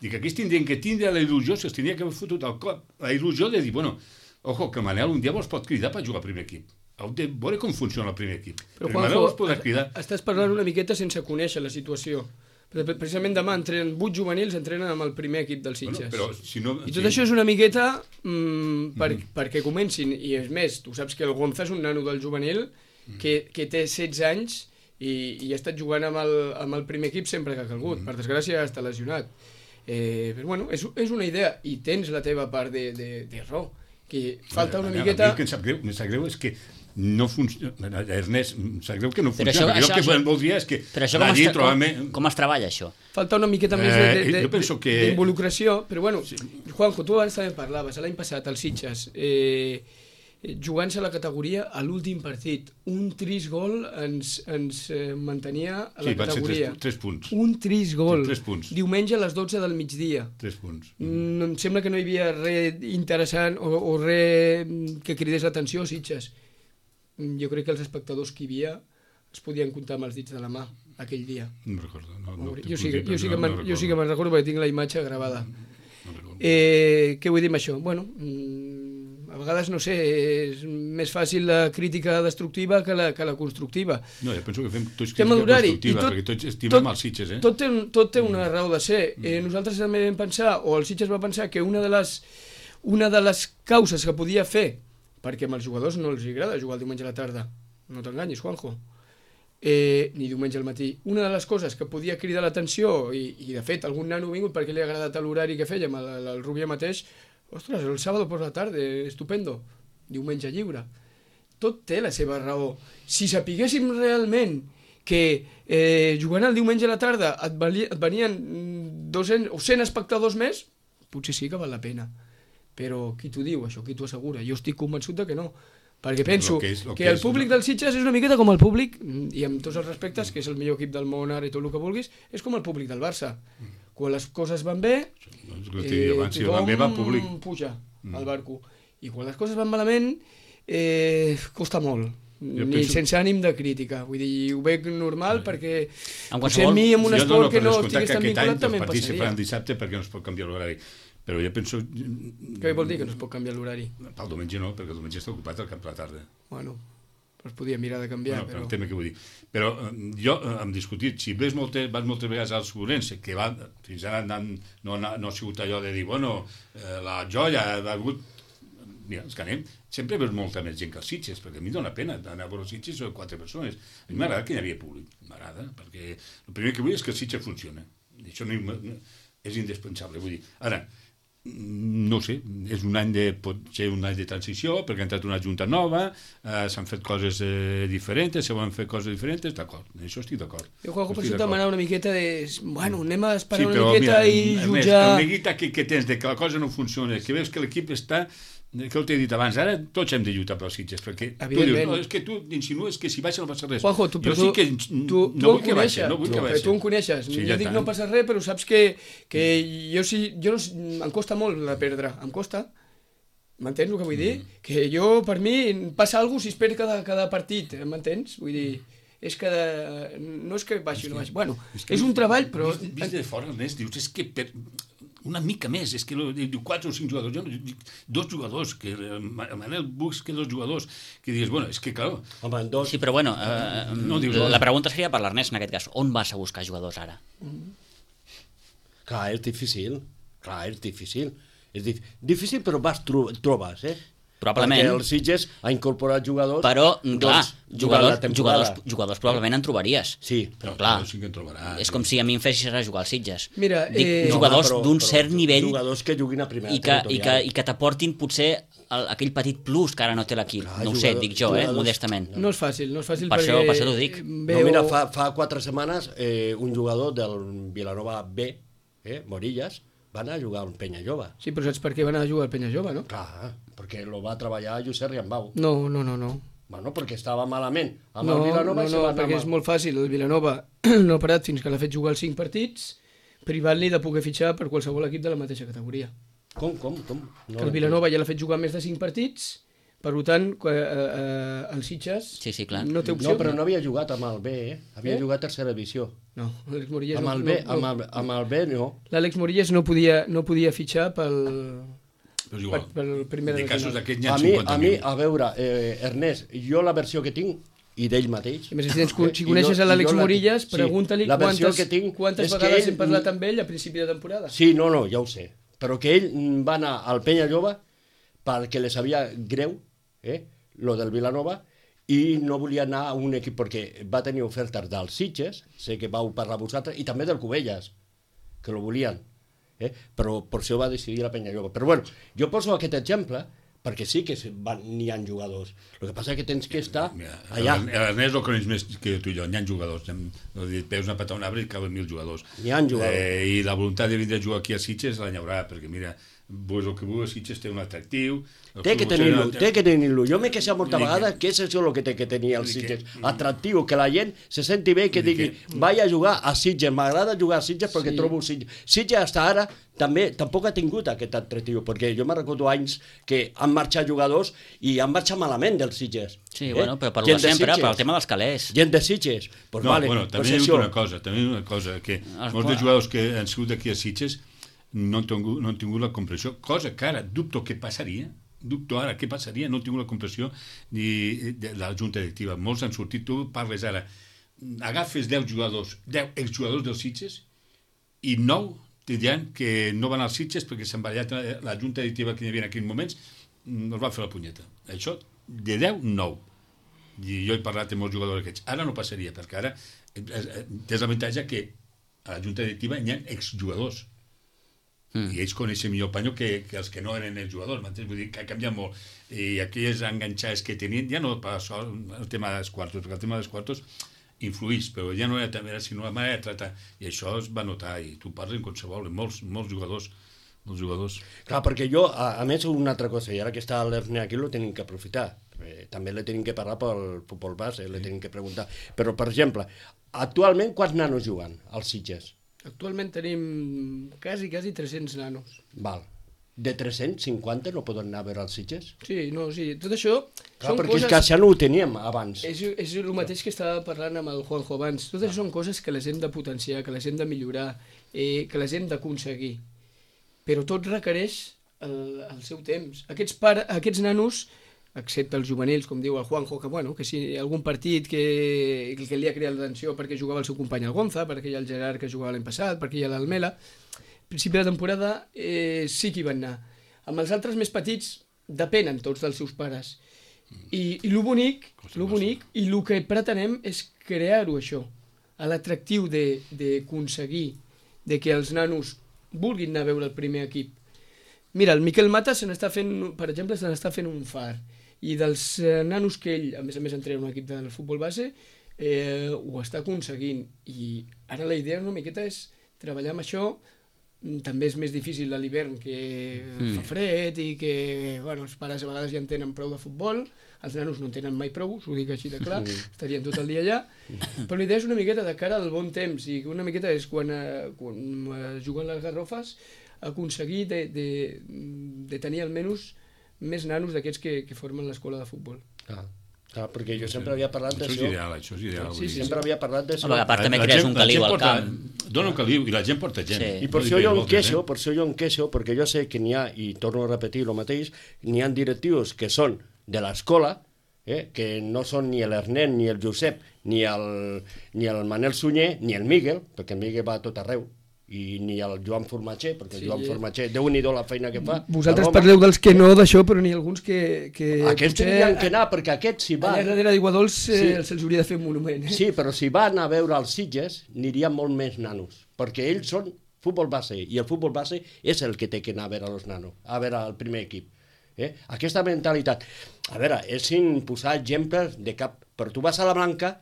Dic, aquests tindrien que tindre la il·lusió, si els tindria que haver fotut al cop, la il·lusió de dir, bueno, ojo, que Manel un dia vos pot cridar per jugar al primer equip. Heu de veure com funciona el primer equip. Però, Perquè Manel Juanjo, vos podrà cridar. estàs parlant una miqueta sense conèixer la situació. Pre- Precisament demà entrenen, vuit juvenils entrenen amb el primer equip dels Sitges. Bueno, però si no... I tot això és una miqueta mm, per, mm -hmm. perquè comencin. I és més, tu saps que el Gonza és un nano del juvenil que, que té setze anys i, i ha estat jugant amb el, amb el primer equip sempre que ha calgut. Mm -hmm. Per desgràcia està lesionat. Eh, però bueno, és, és una idea i tens la teva part de, de, de raó. Que falta una Manel, miqueta... El que em sap greu, em sap greu és que no funciona... Ernest, em sap greu que no Però funciona. això- jo això- el que això- voldria és que Però això com la es, llei tra- trobava... com, com es treballa, això? Falta una miqueta més de, de, Eh, de, jo penso que- d'involucració, però bueno, sí. Juanjo, tu abans també parlaves, l'any passat, als Sitges, eh, jugant-se la categoria a l'últim partit. Un trist gol ens, ens eh, mantenia a la sí, categoria. Tres, tres punts. Un trist gol. Tres punts. Diumenge a les dotze del migdia. Tres punts. Mm, em sembla que no hi havia res interessant o, o res que cridés l'atenció a Sitges. Jo crec que els espectadors que hi havia es podien comptar amb els dits de la mà aquell dia. No recordo. No, no, jo, sí, jo, sí que no, no no jo sí que me'n recordo perquè tinc la imatge gravada. No, no eh, què vull dir amb això? Bueno, a vegades, no sé, és més fàcil la crítica destructiva que la, que la constructiva. No, jo penso que fem tots crítica constructiva, tot, perquè tots estimem tot, els Sitges, eh? Tot té, tot té una raó de ser. Eh, nosaltres també vam pensar, o el Sitges va pensar, que una de les, una de les causes que podia fer, perquè amb els jugadors no els agrada jugar el diumenge a la tarda, no t'enganyis, Juanjo, Eh, ni diumenge al matí. Una de les coses que podia cridar l'atenció, i, i de fet algun nano ha vingut perquè li ha agradat l'horari que fèiem, el, el Rubià mateix, ostres, el sábado por la tarde, estupendo, diumenge lliure. Tot té la seva raó. Si sapiguéssim realment que eh, jugant el diumenge a la tarda et, vali, et venien doscents o cent espectadors més, potser sí que val la pena. Però qui t'ho diu, això? Qui t'ho assegura? Jo estic convençut de que no. Perquè penso que, és, que, que el públic és, del Sitges és una miqueta com el públic, i amb tots els respectes, que és el millor equip del món ara i tot el que vulguis, és com el públic del Barça. Quan les coses van bé, eh, abans, tothom va públic. puja al barco. I quan les coses van malament, eh, costa molt. Jo ni penso... sense ànim de crítica. Vull dir, ho veig normal perquè potser a mi en un esport no, no, que no estigués tan vinculat també em passaria. Els partits se faran dissabte perquè no es pot canviar l'horari. Però jo penso... Què vol dir que no es pot canviar l'horari? Pel diumenge no, perquè el diumenge està ocupat al camp de la tarda. Bueno, es podia mirar de canviar, bueno, però... El tema que vull dir. Però eh, jo eh, hem discutit, si ves moltes, vas moltes vegades als Ourense, que va, fins ara no, no, no ha sigut allò de dir, bueno, eh, la joia ha hagut... Mira, els que anem, sempre veus molta més gent que els Sitges, perquè a mi dóna pena anar a veure els Sitges, són quatre persones. A mi m'agrada que hi havia públic, m'agrada, perquè el primer que vull és que el Sitges funciona. I això no, no, és indispensable, vull dir. Ara, no sé, és un any de, pot ser un any de transició, perquè ha entrat una junta nova, eh, s'han fet coses eh, diferents, se van fer coses diferents, d'acord, això estic d'acord. Jo, Juanjo, per això demanar una miqueta de... Bueno, anem a esperar sí, una miqueta mira, i jutjar... El neguita que, que tens de que la cosa no funciona, que veus que l'equip està... Que ho t'he dit abans, ara tots hem de lluitar pels Sitges, perquè tu dius, no, és que tu insinues que si baixa no passa res. Juanjo, tu, jo sí que tu, no vull que baixa, no vull que baixa. Tu em coneixes, sí, jo ja dic tant. No passa res, però saps que, que jo sí, jo no, em costa molt la perdre, em costa, m'entens el que vull dir? Mm. Que jo, per mi, passa alguna cosa si es perd cada, cada partit, m'entens? Vull dir... és que de... no és que baixi o no baixi, bueno, és, és un treball, però... Vist, vist de fora, Ernest, dius, és que per... una mica més, és que diu quatre o cinc jugadors, jo no dic dos jugadors, que Manel Buch que dos jugadors, que dius, bueno, és que clar... Home, dos... Sí, però bueno, eh, no, dius, la pregunta seria per l'Ernest en aquest cas, on vas a buscar jugadors ara? Mm. Clar, és difícil, clar, és difícil, és dif... difícil però vas tro trobes, eh? Probablement. Perquè el Sitges ha incorporat jugadors... Però, clar, doncs, jugadors, jugadors, jugadors probablement en trobaries. Sí. Però, clar, sí que en trobaràs, és com si a mi em fessis a jugar als Sitges. Mira, Dic, eh... jugadors no, d'un cert nivell... Jugadors que juguin a primera i que, i que, i que t'aportin potser el, aquell petit plus que ara no té l'equip. No ho sé, dic jo, eh, modestament. No és fàcil, no és fàcil per perquè... Això, per això t'ho dic. Veu... No, mira, fa, fa quatre setmanes eh, un jugador del Vilanova B, eh, Morillas, van a jugar al Penya Jove. Sí, però saps per què van a jugar al Penya Jove, no? Clar, perquè lo va treballar Josep Riambau. No, no, no, no. Bueno, perquè estava malament. Amb no, el Vilanova no, no, perquè mal. És molt fàcil. El Vilanova no ha parat fins que l'ha fet jugar els cinc partits, privant-li de poder fitxar per qualsevol equip de la mateixa categoria. Com, com, com? No, que el Vilanova ja l'ha fet jugar més de cinc partits, per tant, eh, eh, el Sitges sí, sí, clar. no té opció. No, però no havia jugat amb el B, eh? Havia eh? jugat a tercera divisió. No, l'Àlex Morillas amb el no... B, no, amb, el, amb el B no. L'Àlex Morillas no podia, no podia fitxar pel... Però igual, per, per primera de casos d'aquests n'hi ha a cinquanta mi, mil. A mi, a veure, eh, Ernest, jo la versió que tinc, i d'ell mateix... A més, si, tens, si coneixes a l'Àlex Morillas, pregunta-li sí, quantes, tinc, quantes vegades ell, hem parlat amb ell a principi de temporada. Sí, no, no, ja ho sé. Però que ell va anar al Penya Jove perquè li sabia greu, eh, lo del Vilanova, i no volia anar a un equip perquè va tenir ofertes dels Sitges, sé que vau parlar vosaltres, i també del Cubelles, que lo volien. Eh? Però per això va decidir la Penya Jove. Però bueno, jo poso aquest exemple perquè sí que n'hi ha jugadors. El que passa és que tens que estar Mira, allà. L'Ernest el coneix més que tu i jo, n'hi ha jugadors. Veus una patar un arbre i caben mil jugadors. N'hi ha jugadors. Eh, I la voluntat de vindre a jugar aquí a Sitges la hi haurà, perquè mira, pues el que vulgui Sitges té un atractiu. Té que tenir-lo, té que tenir-lo. Jo m'he queixat molta vegada que és això el que té que tenir el Sitges. Atractiu, que la gent se senti bé, que digui, vaig a jugar a Sitges, m'agrada jugar a Sitges perquè trobo Sitges. Sitges fins ara també tampoc ha tingut aquest atractiu, perquè jo me recordo anys que han marxat jugadors i han marxat malament dels Sitges. Sí, bueno, però per lo de sempre, per el tema dels calés. Gent de Sitges. No, bueno, també hi ha una cosa, també hi ha una cosa, que molts dels jugadors que han sigut aquí a Sitges no han tingut, no han tingut la compressió, cosa que ara dubto que passaria, dubto ara què passaria, no han tingut la compressió ni de la junta directiva. Molts han sortit, tu parles ara, agafes deu jugadors, deu exjugadors dels Sitges i nou te diran que no van als Sitges perquè s'han barallat la junta directiva que hi havia en aquells moments, els va fer la punyeta. Això, de deu, nou. I jo he parlat amb molts jugadors aquests. Ara no passaria, perquè ara tens l'avantatge que a la junta directiva hi ha exjugadors. Mm. I ells coneixen millor Panyo que, que els que no eren els jugadors, m'entens? Vull dir que ha canviat molt. I aquelles enganxades que tenien, ja no per això el tema dels quartos, perquè el tema dels quartos influís, però ja no era també, sinó la manera de tractar. I això es va notar, i tu parles en qualsevol, molts, molts jugadors, molts jugadors. Clar, perquè jo, a, a més, una altra cosa, i ara que està l'Erne aquí, lo tenim que aprofitar. Eh, també le tenim que parlar pel futbol base, le tenim que preguntar. Però, per exemple, actualment quants nanos juguen als Sitges? Actualment tenim quasi, quasi tres-cents nanos. Val. De tres-cents cinquanta no poden anar a veure els Sitges? Sí, no, sí. Tot això Clar, són perquè coses... és que això no ho teníem abans. És, és el mateix que estava parlant amb el Juanjo abans. Tot això són coses que les hem de potenciar, que les hem de millorar, eh, que les hem d'aconseguir. Però tot requereix el, el seu temps. Aquests, pare, aquests nanos, excepte els juvenils, com diu el Juanjo, que, bueno, que si algun partit que, que li ha creat l'atenció perquè jugava el seu company el Gonza, perquè hi ha el Gerard que jugava l'any passat, perquè hi ha l'Almela, al principi de temporada eh, sí que hi van anar. Amb els altres més petits depenen tots dels seus pares. I, i lo bonic, lo bonic i el que pretenem és crear-ho això, a l'atractiu d'aconseguir de que els nanos vulguin anar a veure el primer equip. Mira, el Miquel Mata se n'està fent, per exemple, se n'està fent un far. I dels eh, nanos que ell, a més a més, entrena un equip del futbol base, eh, ho està aconseguint. I ara la idea una miqueta és treballar amb això. També és més difícil a l'hivern, que mm. fa fred i que bueno, els pares a vegades ja en tenen prou de futbol, els nanos no en tenen mai prou, us ho dic així de clar, estarien tot el dia allà. Però la idea és una miqueta de cara al bon temps, i una miqueta és quan, eh, quan eh, juguen les garrofes, aconseguir de, de, de tenir almenys més nanos d'aquests que, que formen l'escola de futbol. Ah, ah, perquè jo sempre havia parlat d'això. Això és ideal, això és ideal. Sí, sí, sempre havia parlat d'això. A part també crees un caliu al camp. Dona un caliu i la gent porta gent. Sí. I per això jo em queixo, per això jo em queixo, perquè jo sé que n'hi ha, i torno a repetir el mateix, n'hi ha directius que són de l'escola, eh, que no són ni l'Ernest, ni el Josep, ni el, ni el Manel Sunyer, ni el Miguel, perquè el Miguel va a tot arreu, i ni el Joan Formatger, perquè el Joan Formatger, déu-n'hi-do la feina que fa. Vosaltres parleu dels que no d'això, però n'hi ha alguns que... que aquests tenien que anar, perquè aquests si van... Allà darrere d'Iguadols eh, sí. se'ls hauria de fer un monument. Eh? Sí, però si van a veure els Sitges, n'hi molt més nanos, perquè ells són futbol base, i el futbol base és el que té que anar a veure els nanos, a veure el primer equip. Eh? Aquesta mentalitat, a veure, és sin posar exemples de cap, però tu vas a la Blanca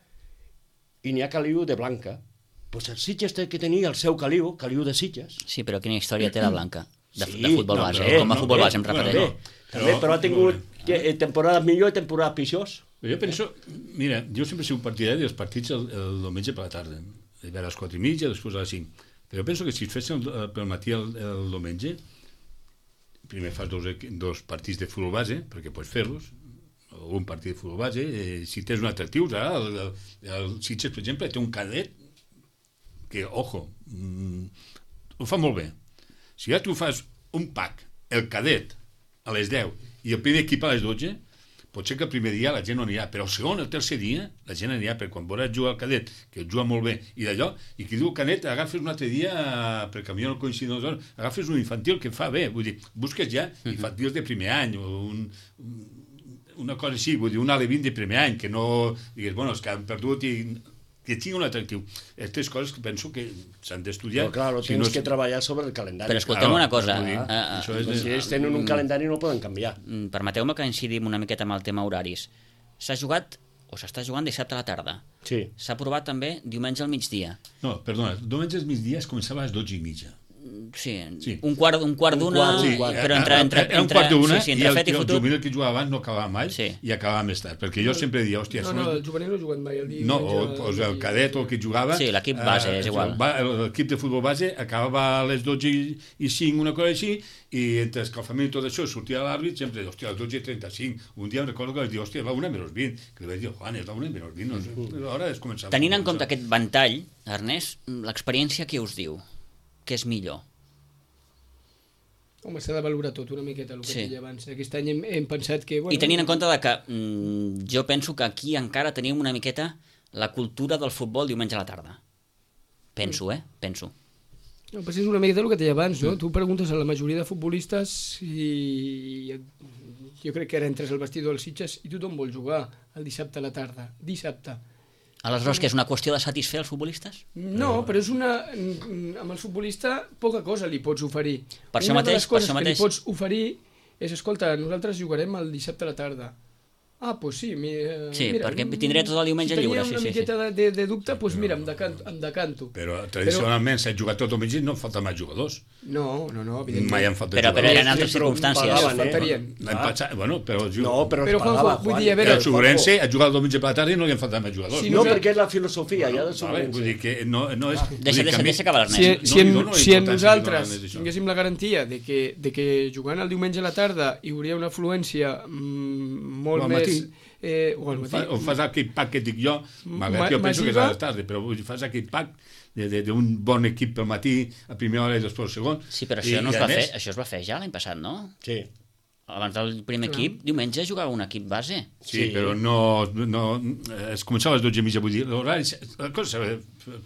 i n'hi ha caliu de Blanca, doncs el Sitges té que tenir el seu caliu, caliu de Sitges. Sí, però quina història té la Blanca de, sí, de futbol no, base, bé, com a futbol no, base, em repeteixo. Bé, també, però ha tingut que, eh, temporades millor i temporades pitjors. Jo penso, mira, jo sempre he sigut partidari dels partits el, el diumenge per la tarda, a les quatre i mitja, després a les cinc. Però jo penso que si es fessin pel matí el, el diumenge, primer fas dos, dos partits de futbol base, perquè pots fer-los, o un partit de futbol base, eh, si tens un atractiu, ara, el, el, el Sitges, per exemple, té un cadet que, ojo, mm, ho fa molt bé. Si ja tu fas un pack, el cadet, a les deu, i el primer equip a les dotze, pot ser que el primer dia la gent no anirà, però el segon, el tercer dia, la gent anirà, perquè quan veuràs jugar al cadet, que juga molt bé, i d'allò, i qui diu cadet, agafes un altre dia, perquè a mi no coincidim, agafes un infantil que fa bé, vull dir, busques ja infantils de primer any, o un, una cosa així, vull dir, un alevín de primer any, que no digues, bueno, és que han perdut i... que tingui un atractiu. Aquestes coses que penso que s'han d'estudiar. Però clar, si tens no que treballar sobre el calendari. Però escolteu Claro, una cosa. vull dir, Uh, això és de- Si ells tenen un calendari no poden canviar. uh, Permeteu-me que incidim una miqueta amb el tema horaris. S'ha jugat, o s'està jugant dissabte a la tarda. Sí. S'ha provat també diumenge al migdia. No, perdona, diumenge al migdia es començava a les dotze i mitja. Sí, Sí. un quart, un quart Un d'una, quart, Sí, un quart. però entre, entre, era un entre, quart d'una sí, sí, i entre el, fet i el fotut. juvenil que jugava abans no acabava mai Sí. i acabava més tard, perquè jo sempre dia, hòstia, No, són no, els- el juvenil no ha jugat mai. El dia no, o, o sigui, el cadet o el que jugava... Sí, l'equip base, és igual. Va, l'equip de futbol base acabava a les dotze i cinc, una cosa així, i entre escalfament i tot això sortia l'àrbit, sempre deia, hòstia, a les dotze i trenta-cinc. Un dia em recordo que vaig dir, hòstia, va una menys vint. Que li vaig dir, Juan, és la una menys vint. No sé, ara és començar. Tenint en compte aquest ventall, Ernest, l'experiència què us diu? Què és millor? Home, s'ha de valorar tot una miqueta, el que Sí. deia abans. Aquest any hem, hem pensat que... Bueno, I tenint en compte de que mm, jo penso que aquí encara tenim una miqueta la cultura del futbol diumenge a la tarda. Penso, eh? Penso. No, però és una miqueta el que deia abans, no? Tu preguntes a la majoria de futbolistes i jo crec que ara entres al vestidor dels Sitges i tothom vol jugar el dissabte a la tarda. Dissabte. Aleshores, que és una qüestió de satisfer els futbolistes? No, però és una... Amb el futbolista poca cosa li pots oferir. Per això una mateix, de les coses per això que li mateix. pots oferir és, escolta, nosaltres jugarem el dissabte a la tarda. Ah, doncs pues sí, mi, eh, Sí, mira, perquè tindré tot el diumenge si tenia lliure, una sí, sí, miqueta de, de, de dubte, doncs pues mira, em decanto. Em decanto. Però tradicionalment s'ha jugat tot el mig i no falten mai jugadors. No, no, no, evidentment. Mai han faltat Però, però jugadors. eren altres Sí, però circumstàncies. pagaven, eh? Faltarien. L'any passat, bueno, però... No, però, Però, es pagava, Juanjo, vull dir, a Juan. veure, el Sobrense ha jugat el diumenge per la tarda i no li han faltat mai jugadors. Sí, No, no, perquè és la filosofia, ja de Vale, Sobrense. vull dir que no, no és... vull Deixa, dir que deixa, a mi- deixa acabar Si, l'Ernest. No si, li en, dono si en importància nosaltres ni dono d'això. tinguéssim la garantia de que, de que jugant el diumenge a la tarda hi hauria una afluència mm, molt O al més... matí. Eh, o al O matí. fa, o fas aquell pack que dic jo, malgrat Ma- que jo penso que és massiva. a les tardes, però vull dir, fas aquell pack de- de- d'un bon equip pel matí, a primera hora i després al segon. Sí, però I- això, no i es a va fer, més- això es va fer ja l'any passat, no? Sí. Abans del primer equip, diumenge jugava un equip base. Sí, Sí. però no, no... Es començava a les dotze i mitja, vull dir, l'horari, la cosa s'ha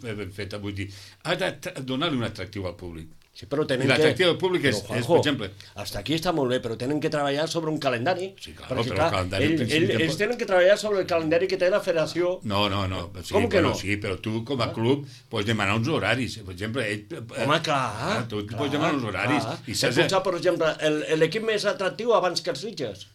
de ben feta, vull dir, ha de tra- donar-li un atractiu al públic. Sí, però I tenen que... l'atractiu del públic és, Però, és, Juanjo, per exemple... hasta aquí està molt bé, però tenen que treballar sobre un calendari. Sí, claro, perquè, però clar, el calendari, ell, al principi, ell, tampoc- ells tenen que treballar sobre el calendari que té la federació. No, no, no. Sí, Com que però, no? Sí, però tu, com a club, pots demanar uns horaris. Per exemple, ell... Home, clar. Tu clar, pots demanar uns horaris. clar. I He saps... posat, per exemple, el- l'equip més atractiu abans que els Sitges.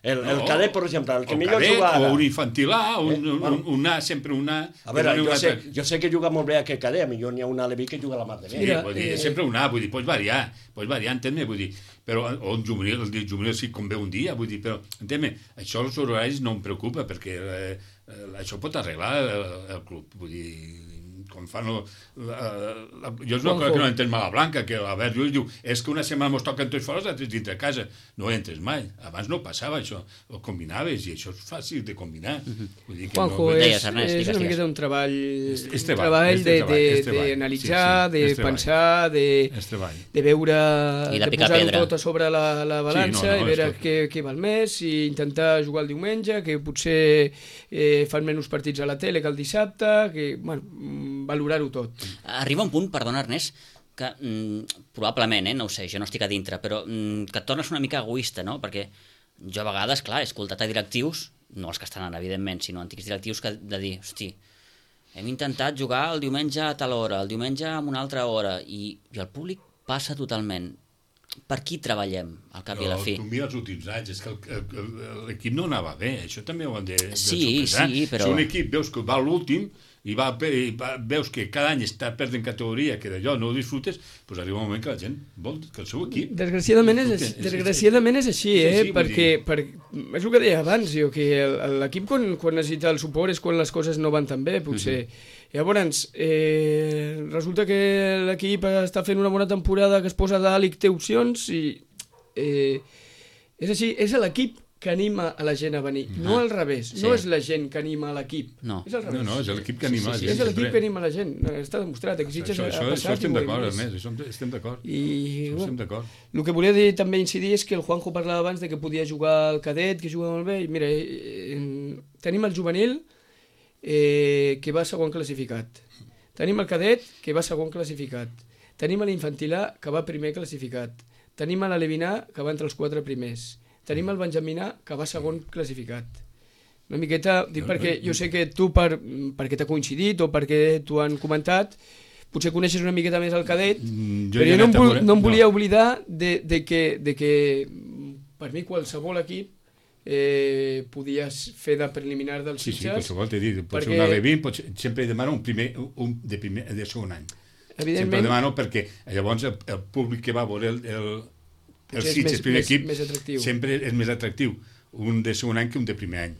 El, el No. cadet, per exemple, el que o millor cadet, juga ara. o un infantil A, un, Eh, un, bueno. un, un A, sempre un A. A veure, i jo un sé, altre. jo sé que juga molt bé aquest cadet, a millor n'hi ha un Aleví que juga la mar de bé. Sí, Mira, vull dir, eh, és sempre un A, vull dir, pots variar, pots variar, entén-me, vull dir, però, o un juvenil, el dia juvenil sí com ve un dia, vull dir, però, entén-me, això els horaris no em preocupa, perquè eh, eh, això pot arreglar el, el club, vull dir, com fan... El, la, la, jo és una cosa que no entenc mala blanca, que l'Albert Llull diu, és que una setmana mos toquen tots fora, els altres dintre casa. No entres mai. Abans no passava això. Ho combinaves, i això és fàcil de combinar. Vull dir que Juanjo, no... és, Deies, Ernest, és digues, una digues. miqueta un treball, És- és un treball, treball és de- treball, de- és treball. d'analitzar, Sí, sí, de és treball. pensar, de, És treball. de veure, I de de picar posar-ho pedra. tot a sobre la, la balança Sí, no, no, i veure és tot. què, què val més, i intentar jugar el diumenge, que potser eh, fan menys partits a la tele que el dissabte, que, bueno, mm, valorar-ho tot. Arriba un punt, perdona Ernest, que mm, probablement, eh, no ho sé, jo no estic a dintre, però mm, que et tornes una mica egoista, no? Perquè jo a vegades, clar, he escoltat a directius, no els que estan ara, evidentment, sinó antics directius, que de dir, hosti, hem intentat jugar el diumenge a tal hora, el diumenge a una altra hora, i, i el públic passa totalment. Per qui treballem, al cap i a la fi? Tu mira els últims anys, és que el- el- el- l'equip no anava bé, això també ho han de, de Sí, sopesar. sí, però- Si un equip veus que va a l'últim i, va, pe- i va, veus que cada any està perdent categoria, que d'allò no ho disfrutes, doncs arriba un moment que la gent vol que el seu equip... Desgraciadament és, disfrute. així, desgraciadament és així, és eh? així, vull perquè per, és el que deia abans, jo, que el- l'equip quan, quan necessita el suport és quan les coses no van tan bé, potser. Llavors, eh, resulta que l'equip està fent una bona temporada, que es posa dalt i que té opcions, i eh, és així, és l'equip que anima a la gent a venir, no al revés, Sí. no és la gent que anima a l'equip, No. és al revés. No, no, és l'equip que anima Sí, sí, la És gent. l'equip sempre. que anima la gent, està demostrat, aquí Sitges Això, ha això, això passat estem i ho hem d'acord, vist. Ernest, això estem d'acord. I, Això bueno, estem d'acord. el que volia dir, també incidir és que el Juanjo parlava abans de que podia jugar al cadet, que juga molt bé, i mira, eh, eh, tenim el juvenil eh, que va segon classificat, tenim el cadet que va segon classificat, tenim l'infantil A que va primer classificat, tenim l'alevinar que va entre els quatre primers, tenim el benjaminar que va segon classificat. Una miqueta, dic perquè jo sé que tu, per, perquè t'ha coincidit o perquè t'ho han comentat, potser coneixes una miqueta més el cadet, Mm, jo però ja jo he no em, anat a vol, veure- no em no. volia oblidar de, de, que, de que per mi qualsevol equip eh, podies fer de preliminar dels Sí, sí, Sitges. qualsevol t'he dit, pot perquè- ser un alevín, pot ser, sempre demana un, primer, un de, primer, de segon any. Evidentment. Sempre demano perquè llavors el, el públic que va a veure el, el, el Sitges primer més, equip més atractiu. sempre és més atractiu un de segon any que un de primer any.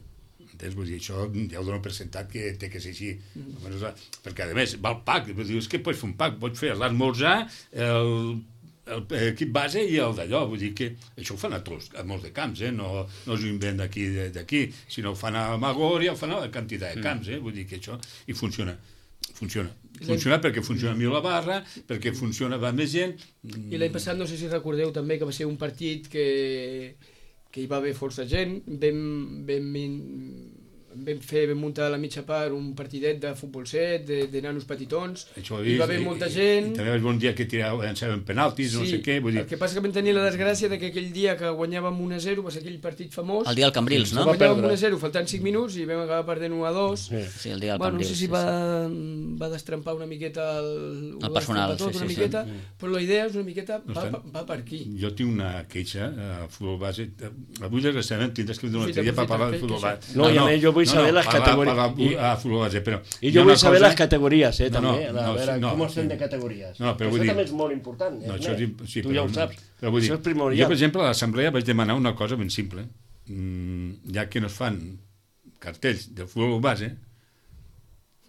Entens? Vull dir, això ja ho dono per sentat que té que ser així. Mm. Perquè, a més, va el pack. Dius que pots fer un pack, pots fer l'esmorzar, l'equip base i el d'allò. Vull dir que això ho fan a tots, a molts de camps, eh? No, no s'ho inventen d'aquí, d'aquí, sinó ho fan a Magor i ho fan a la quantitat de camps, eh? Vull dir que això... I funciona. Funciona. Funciona perquè funciona millor la barra, perquè funciona, va més gent... I l'any passat, no sé si recordeu també que va ser un partit que, que hi va haver força gent, vam, vam, vam fer, vam muntar a la mitja part un partidet de futbol set, de, de nanos petitons, hi va haver molta gent... I, i també va haver un dia que llançaven penaltis, sí, no sé què... Vull dir... El que passa que vam tenir la desgràcia de que aquell dia que guanyàvem un a zero, va ser aquell partit famós... El dia del Cambrils, no? Guanyàvem un a zero, faltant cinc minuts, i vam acabar perdent un a dos. Sí, sí, el dia del bueno, Cambrils. No sé si sí, va, sí. va destrempar una miqueta el, el personal, tot, sí, una sí, miqueta, sí. Però la idea és una miqueta, No va, estan... va per aquí. Jo tinc una queixa a futbol base. Avui, desgraciadament, tindràs que vindre una Sí, altre dia per aprofita, parlar de que- futbol que base. No, i a més jo vull saber les categories. I, a futbol base, però... I jo vull saber cosa... les categories, eh, No, no, també. A no, veure, no, com estem sí. de categories. No, però això vull dir- també és molt important. No, eh, això és, Ernest? sí, tu ja ho saps. Però vull dir, això és primordial. jo, per exemple, a l'assemblea vaig demanar una cosa ben simple. Mm, ja que no es fan cartells de futbol base,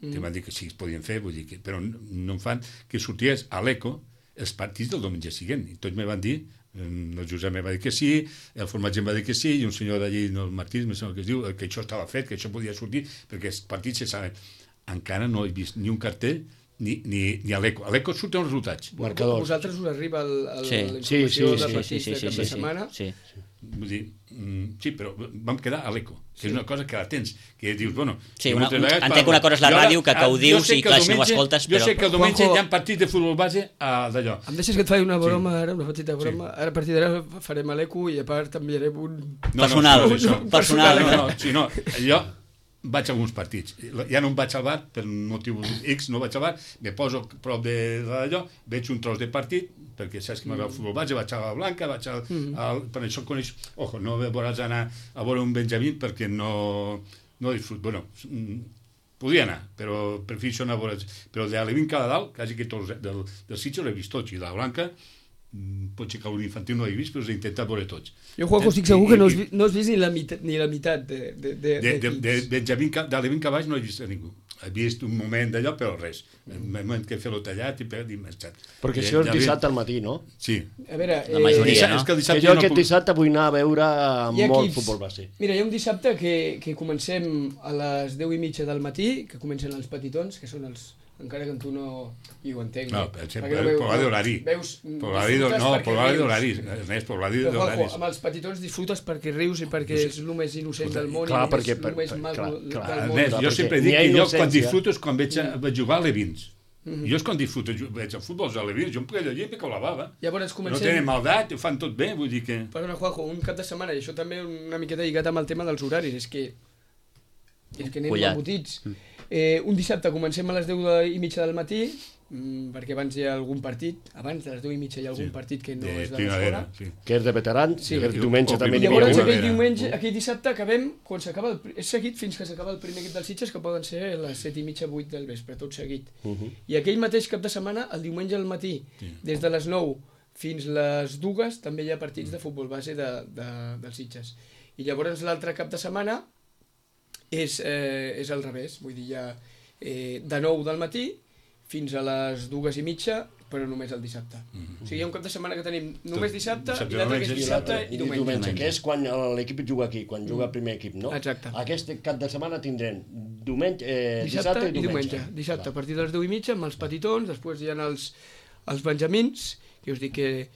mm. que van dir que sí es podien fer, vull dir que, però no en fan, que sorties a l'Eco els partits del diumenge següent. I tots me van dir, el Josep me va dir que sí, el formatge em va dir que sí, i un senyor d'allí, no, el Martí, no sé el que es diu, que això estava fet, que això podia sortir, perquè els partits se saben. Encara no he vist ni un cartell ni, ni, ni a l'Eco. A l'Eco surten els resultats. A Marcadors. vosaltres us arriba el, el, Sí. la Sí, sí, informació sí, de sí, partits sí, de sí, cap sí, de sí, setmana. sí. Vull dir, mm, sí, però vam quedar a l'Eco, que és una cosa que la tens, que dius, bueno... Sí, jo una, moltes un, vegades entenc que una cosa és la jo ara- ràdio, que, que ho jo dius sé i que clar, el si no ho diumenge- escoltes, Jo però... sé que el diumenge Juanjo- hi ha partits de futbol base a d'allò. Em deixes que et faci una broma Sí. ara, una petita broma. Ara a partir d'ara farem a l'Eco i a part enviarem un... Personal, no, no, no, personal. No, no, sí, no, jo vaig a alguns partits. Ja no em vaig al bar, per motiu X no vaig al bar, me poso prop de d'allò, veig un tros de partit, perquè saps que m'agrada el futbol base, vaig a la Blanca, vaig al, al, per això coneix... Ojo, no veuràs anar a veure un Benjamín perquè no, no disfrut. Bueno, podia anar, però prefereixo anar a veure... Però de l'Alevin cada dalt, quasi que tots del, del Sitges l'he vist tots, i de la Blanca potser que l'infantil no he vist, però els he intentat veure tots. Jo, Juanjo, estic segur que no has, vi- no has vist ni la mitat, ni la mitat de, de, de, De, de, de d'equips. Benjamín, Ca- d'Alevin Cavalls no he vist a ningú. He vist un moment d'allò, però res. El moment que he fet-lo tallat i per i marxat. Perquè Eh, això és ja ve- dissabte al matí, no? Sí. A veure, La majoria, Dissabte- no? És que el Que dissabte jo jo no aquest puc... dissabte vull anar a veure hi ha molt equips- futbol base. Mira, hi ha un dissabte que, que comencem a les deu i mitja del matí, que comencen els petitons, que són els... Encara que en tu no hi ho entenc. No, eh? per Perquè exemple, veu- per l'horari d'horari. Veus, Per l'horari d'horari, disfrutes no, perquè per l'horari rius. d'horari. Ernest, per l'horari Però, Juanjo, d'horaris. amb els petitons disfrutes perquè rius i perquè és el més innocent del món Clar, i el perquè- més, el més per- maco clar, del clar, món. Ernest, jo perquè sempre n'hi dic ha que jo quan innocència. disfruto és quan veig, a- vaig jugar a Levins. Jo és quan disfruto, jo veig el futbol a Levins, jo em puc llegir perquè la bava. Llavors No comencem... tenen maldat, ho fan tot bé, vull dir que... Perdona, Juanjo, un cap de setmana, i això també una miqueta lligat amb el tema dels horaris, és que, és que anem Collat. embotits. Eh, un dissabte comencem a les deu i mitja del matí, mm, perquè abans hi ha algun partit, abans de les deu i mitja hi ha algun Sí, partit que no de és de primavera, l'escola. sí. Que és de veterans, Sí. que diumenge O també I n'hi primavera. havia llavors una. aquell primavera. diumenge, aquell dissabte acabem, quan s'acaba el, pri- és seguit fins que s'acaba el primer equip dels Sitges, que poden ser a les set i mitja, vuit del vespre, tot seguit. Mhm. I aquell mateix cap de setmana, el diumenge al matí, Sí. des de les nou fins les dues, també hi ha partits de futbol base de, de, dels Sitges. I llavors l'altre cap de setmana és, eh, és al revés, vull dir, hi ha eh, de nou del matí fins a les dues i mitja, però només el dissabte. Mhm. O sigui, hi ha un cap de setmana que tenim només dissabte, Dissabte, i l'altre que és diumenge, dissabte I i diumenge, diumenge. que és quan l'equip juga aquí, quan juga el primer equip, no? Exacte. Aquest cap de setmana tindrem diumenge, eh, Dissabte, dissabte i diumenge. Dissabte, a partir de les deu i mitja, amb els petitons, després hi ha els, els benjamins, que us dic que...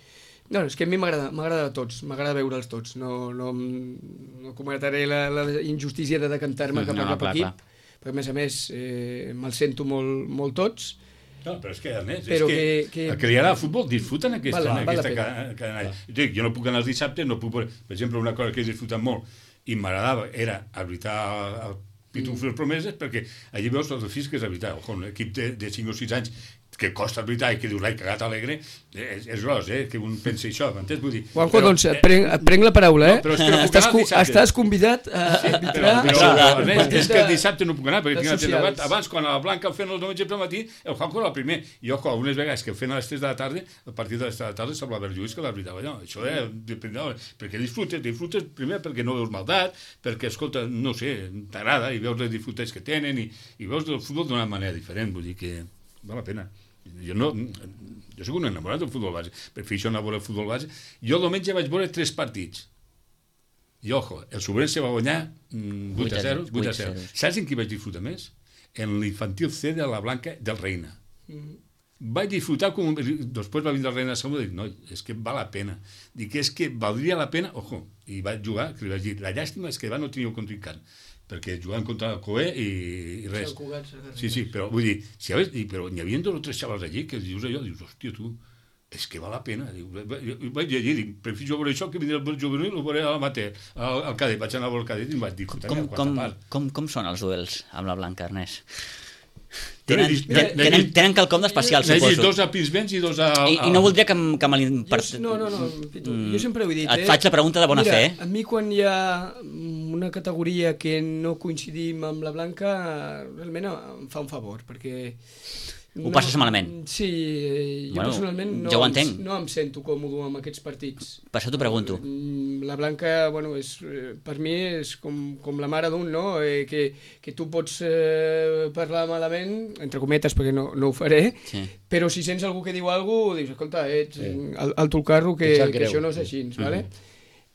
No, és que a mi m'agrada m'agrada a tots, m'agrada veure'ls tots. No, no, no cometré la, la injustícia de decantar-me cap a No, cap clar, equip, clar. perquè a més a més eh, me'ls sento molt, molt tots. No, però és que, Ernest, Però és que, que- que- el que li agrada al futbol disfruten aquesta, Val- val la aquesta pena. ca- canalla. Jo dic, jo no puc anar els dissabtes, no puc... veure- Per exemple, una cosa que he disfrutat molt i m'agradava era arbitrar el Pitufo mm. les promeses, perquè allí veus els fills que és arbitrar. Ojo, un equip de, de cinc o sis anys que costa arbitrar i que dius, l'he cagat alegre, és, és gros, eh, que un pensi això, m'entens? Vull dir... Juanjo, però, doncs, et prenc, et prenc la paraula, eh? No, però és que no puc estàs, anar el dissabte. estàs convidat a Sí, arbitrar... però, però, però, Ernest, és que el de- dissabte no puc anar, perquè tinc socials. l'entrebat. Abans, quan a la Blanca el feien el diumenge pel matí, el Juanjo era el primer. I, ojo, algunes vegades que el feien a les tres de la tarda, a partir de les tres de la tarda semblava el Lluís que l'arbitava allò. Això eh, depèn, perquè disfrutes, disfrutes primer perquè no veus maldat, perquè, escolta, no sé, t'agrada i veus les disfrutes que tenen i, i veus el futbol d'una manera diferent, vull dir que val la pena. Jo no, jo soc un enamorat del futbol base, prefereixo anar a veure el futbol base. Jo el diumenge vaig veure tres partits. I, ojo, el Sobrense va guanyar mm, vuit a zero. vuit a zero. Saps en qui vaig disfrutar més? En l'infantil C de la Blanca del Reina. Mm. Vaig disfrutar com... Després va vindre el Reina segona i dic, no, és que val la pena. Dic, és que valdria la pena... Ojo, i vaig jugar, que li vaig dir, la llàstima és que va no tenia un contrincant, perquè jugaven contra el Coe i, i res. Sí, sí, però vull dir, si haves, i, però n'hi havia dos o tres xavals allí que dius allò, dius, hòstia, tu, és que val la pena. Diu, vaig llegir, dic, prefiro veure això que vindrà el juvenil, ho veuré al mater, al, al cadet, vaig anar a veure el cadet i em vaig dir, Com, com, com, com són els duels amb la Blanca, Ernest? Tenen, Tenen, tenen, tenen, tenen quelcom d'especial, N'he dit suposo. dos a Pinsbens i dos a... I, I no voldria que, m- que me l'in... Jo, no, no, no, Pitu, jo sempre ho he dit, Et eh? faig la pregunta de bona Mira, fe, eh? a mi quan hi ha una categoria que no coincidim amb la Blanca, realment em fa un favor, perquè... Ho passes malament. Sí, jo Bueno, personalment no, jo ho em, entenc. no em sento còmode amb aquests partits. Per això t'ho pregunto. Mm, La Blanca, bueno, és, eh, per mi és com, com la mare d'un, no? Eh, que, que tu pots eh, parlar malament, entre cometes, perquè no, no ho faré, Sí. però si sents algú que diu alguna cosa, dius, escolta, ets sí. al, alto el carro, que, Em sap que greu. això no és així, ¿vale?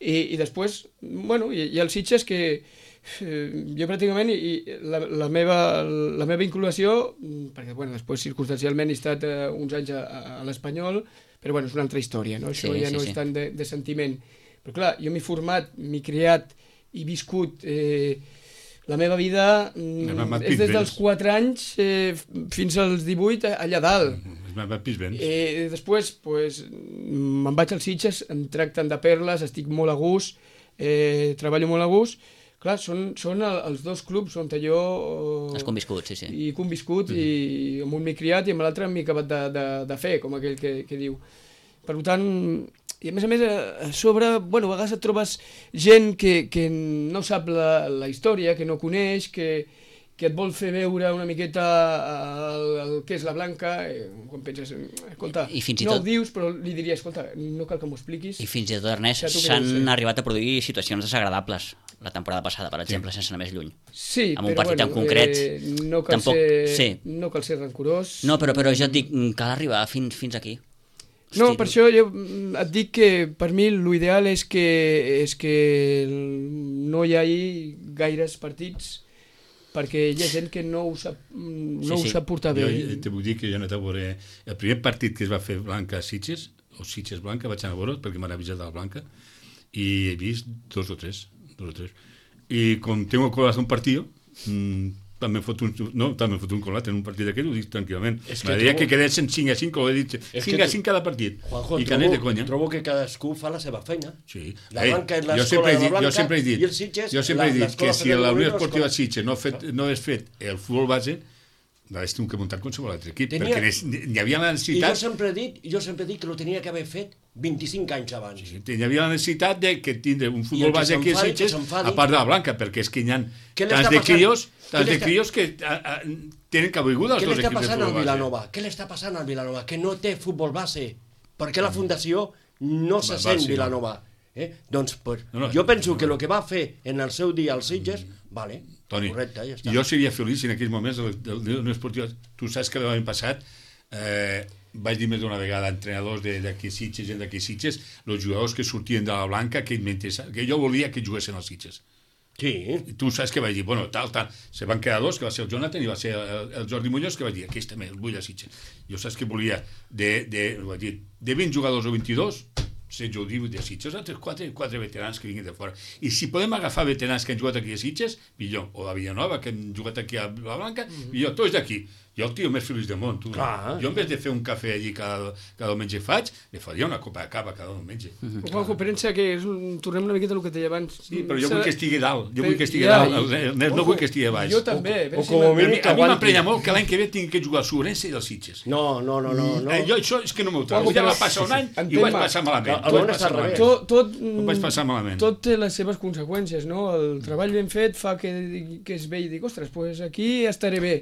I, I després, bueno, hi, hi ha els Sitges que eh, jo pràcticament, i, i la, la, meva, la meva vinculació, mm, perquè bueno, després circumstancialment he estat eh, uns anys a, a, a l'Espanyol, però bueno, és una altra història, no? Això Sí, ja sí, no sí. és tant de, de sentiment. Però clar, jo m'he format, m'he criat i viscut eh, la meva vida mm, Anem a és des Pinsbens. dels quatre anys eh, fins als divuit allà dalt. A Pinsbens. Eh, després, pues, me'n vaig als Sitges, em tracten de perles, estic molt a gust, eh, treballo molt a gust. Clar, són, són el, els dos clubs on jo... Eh, Has conviscut, sí, sí. I he conviscut, mm. i amb un m'he criat i amb l'altre m'he acabat de, de, de fer, com aquell que, que diu. Per tant, i a més a més, a sobre, bueno, a vegades et trobes gent que, que no sap la, la història, que no coneix, que, que et vol fer veure una miqueta el, el que és la Blanca, eh, quan penses, escolta, I fins i no tot- ho dius, però li diria, escolta, no cal que m'ho expliquis. I fins i tot, Ernest, Ja t'ho s'han creu, sí. arribat a produir situacions desagradables la temporada passada, per exemple, sense anar més lluny. Sí, amb un però partit bueno, en concret, eh, no cal tampoc- ser, sí. no cal ser rancorós. No, però, però jo et dic, mm, cal arribar fins, fins aquí. No, Hosti, per això jo mm, et dic que per mi l'ideal és que, és que no hi hagi gaires partits perquè hi ha gent que no ho sap, no Sí, ho sí. sap portar bé. Jo te vull dir que jo he anat a veure... El primer partit que es va fer Blanca a Sitges, o Sitges Blanca, vaig anar a veure perquè m'han avisat de la Blanca, i he vist dos o tres, dos o tres. I com tengo corazón partido, mmm, també fot un, no, també fot un colat en un partit d'aquest, ho dic tranquil·lament. És que M'agradaria trobo- que quedessin cinc a cinc, com he dit, És cinc que a cinc cada partit. Juanjo, I que anés de trobo, conya. trobo que cadascú fa la seva feina. Sí. La Ei, Blanca és jo l'escola sempre he de la dit, Blanca jo sempre he dit, i els Sitges, jo sempre he la- dit l'escola que si Federico la Unió Molino, Esportiva l'escola- Sitges no, fet, no hagués fet el futbol base, l'hagués tingut que muntar qualsevol altre equip, Tenia- perquè n'hi n'hi havia la I jo necessitat, sempre he dit, jo sempre he dit que lo tenia que haver fet vint-i-cinc anys abans. sí, n'hi havia la necessitat de que tindre un I el futbol que base aquí a s'enfadi, Sitges, que s'enfadi. a part de la Blanca, perquè és que hi ha Què li tants està de passant? crios, Què tants li de està- crios que a, a, tenen cabuiguda els Què dos li està equips de passant al futbol base. Vilanova? Què li està passant al Vilanova? Que no té futbol base. Perquè la fundació no se Va, va, sent sí, no. Vilanova. Eh? Doncs pues, No, no, jo penso no, que no. el que va fer en el seu dia als Sitges, vale, Toni, correcte, ja està. jo seria feliç si en aquells moments el, el, el, el esportiu, tu saps que l'any passat eh, vaig dir més d'una vegada a entrenadors de- d'aquí Sitges, gent d'aquí Sitges, els jugadors que sortien de la Blanca, que, que jo volia que juguessin als Sitges. Sí, I tu saps que vaig dir, bueno, tal, tal, se van quedar dos, que va ser el Jonathan i va ser el, el Jordi Muñoz, que vaig dir, aquest també, el vull a Sitges. Jo saps que volia de, de, vaig dir, de vint jugadors o vint-i-dos, setze o divuit de Sitges, altres quatre, quatre veterans que vinguin de fora. I si podem agafar veterans que han jugat aquí a Sitges, millor, o a Villanova, que han jugat aquí a la Blanca, millor, tots d'aquí. Jo el tio més feliç del món, tu. Clar. Jo en vez de fer un cafè allí cada, cada diumenge faig, li faria una copa de cava cada diumenge. Mm-hmm. Juanjo, pensa que és un... tornem una miqueta al que et deia abans. Sí, però jo vull que estigui dalt, jo Però- vull que estigui ja, dalt, i- el Ernest no Ojo, vull que estigui a baix. Jo també. a veure o si com a m'ha- mínim A mi, que a mi aguanti. m'emprenya molt que l'any que ve tingui que jugar al Sobrense i del Sitges. No, no, no, no. no. Eh, jo això és que no m'ho trobo. Juanjo, Ja va però- passar un any i entén-me. ho vaig passar malament. Que Ho el vaig món passar està al malament. revés. Tot, tot, Ho vaig passar malament. tot té les seves conseqüències, no? El treball ben fet fa que, que es vegi i dic, ostres, pues aquí estaré bé.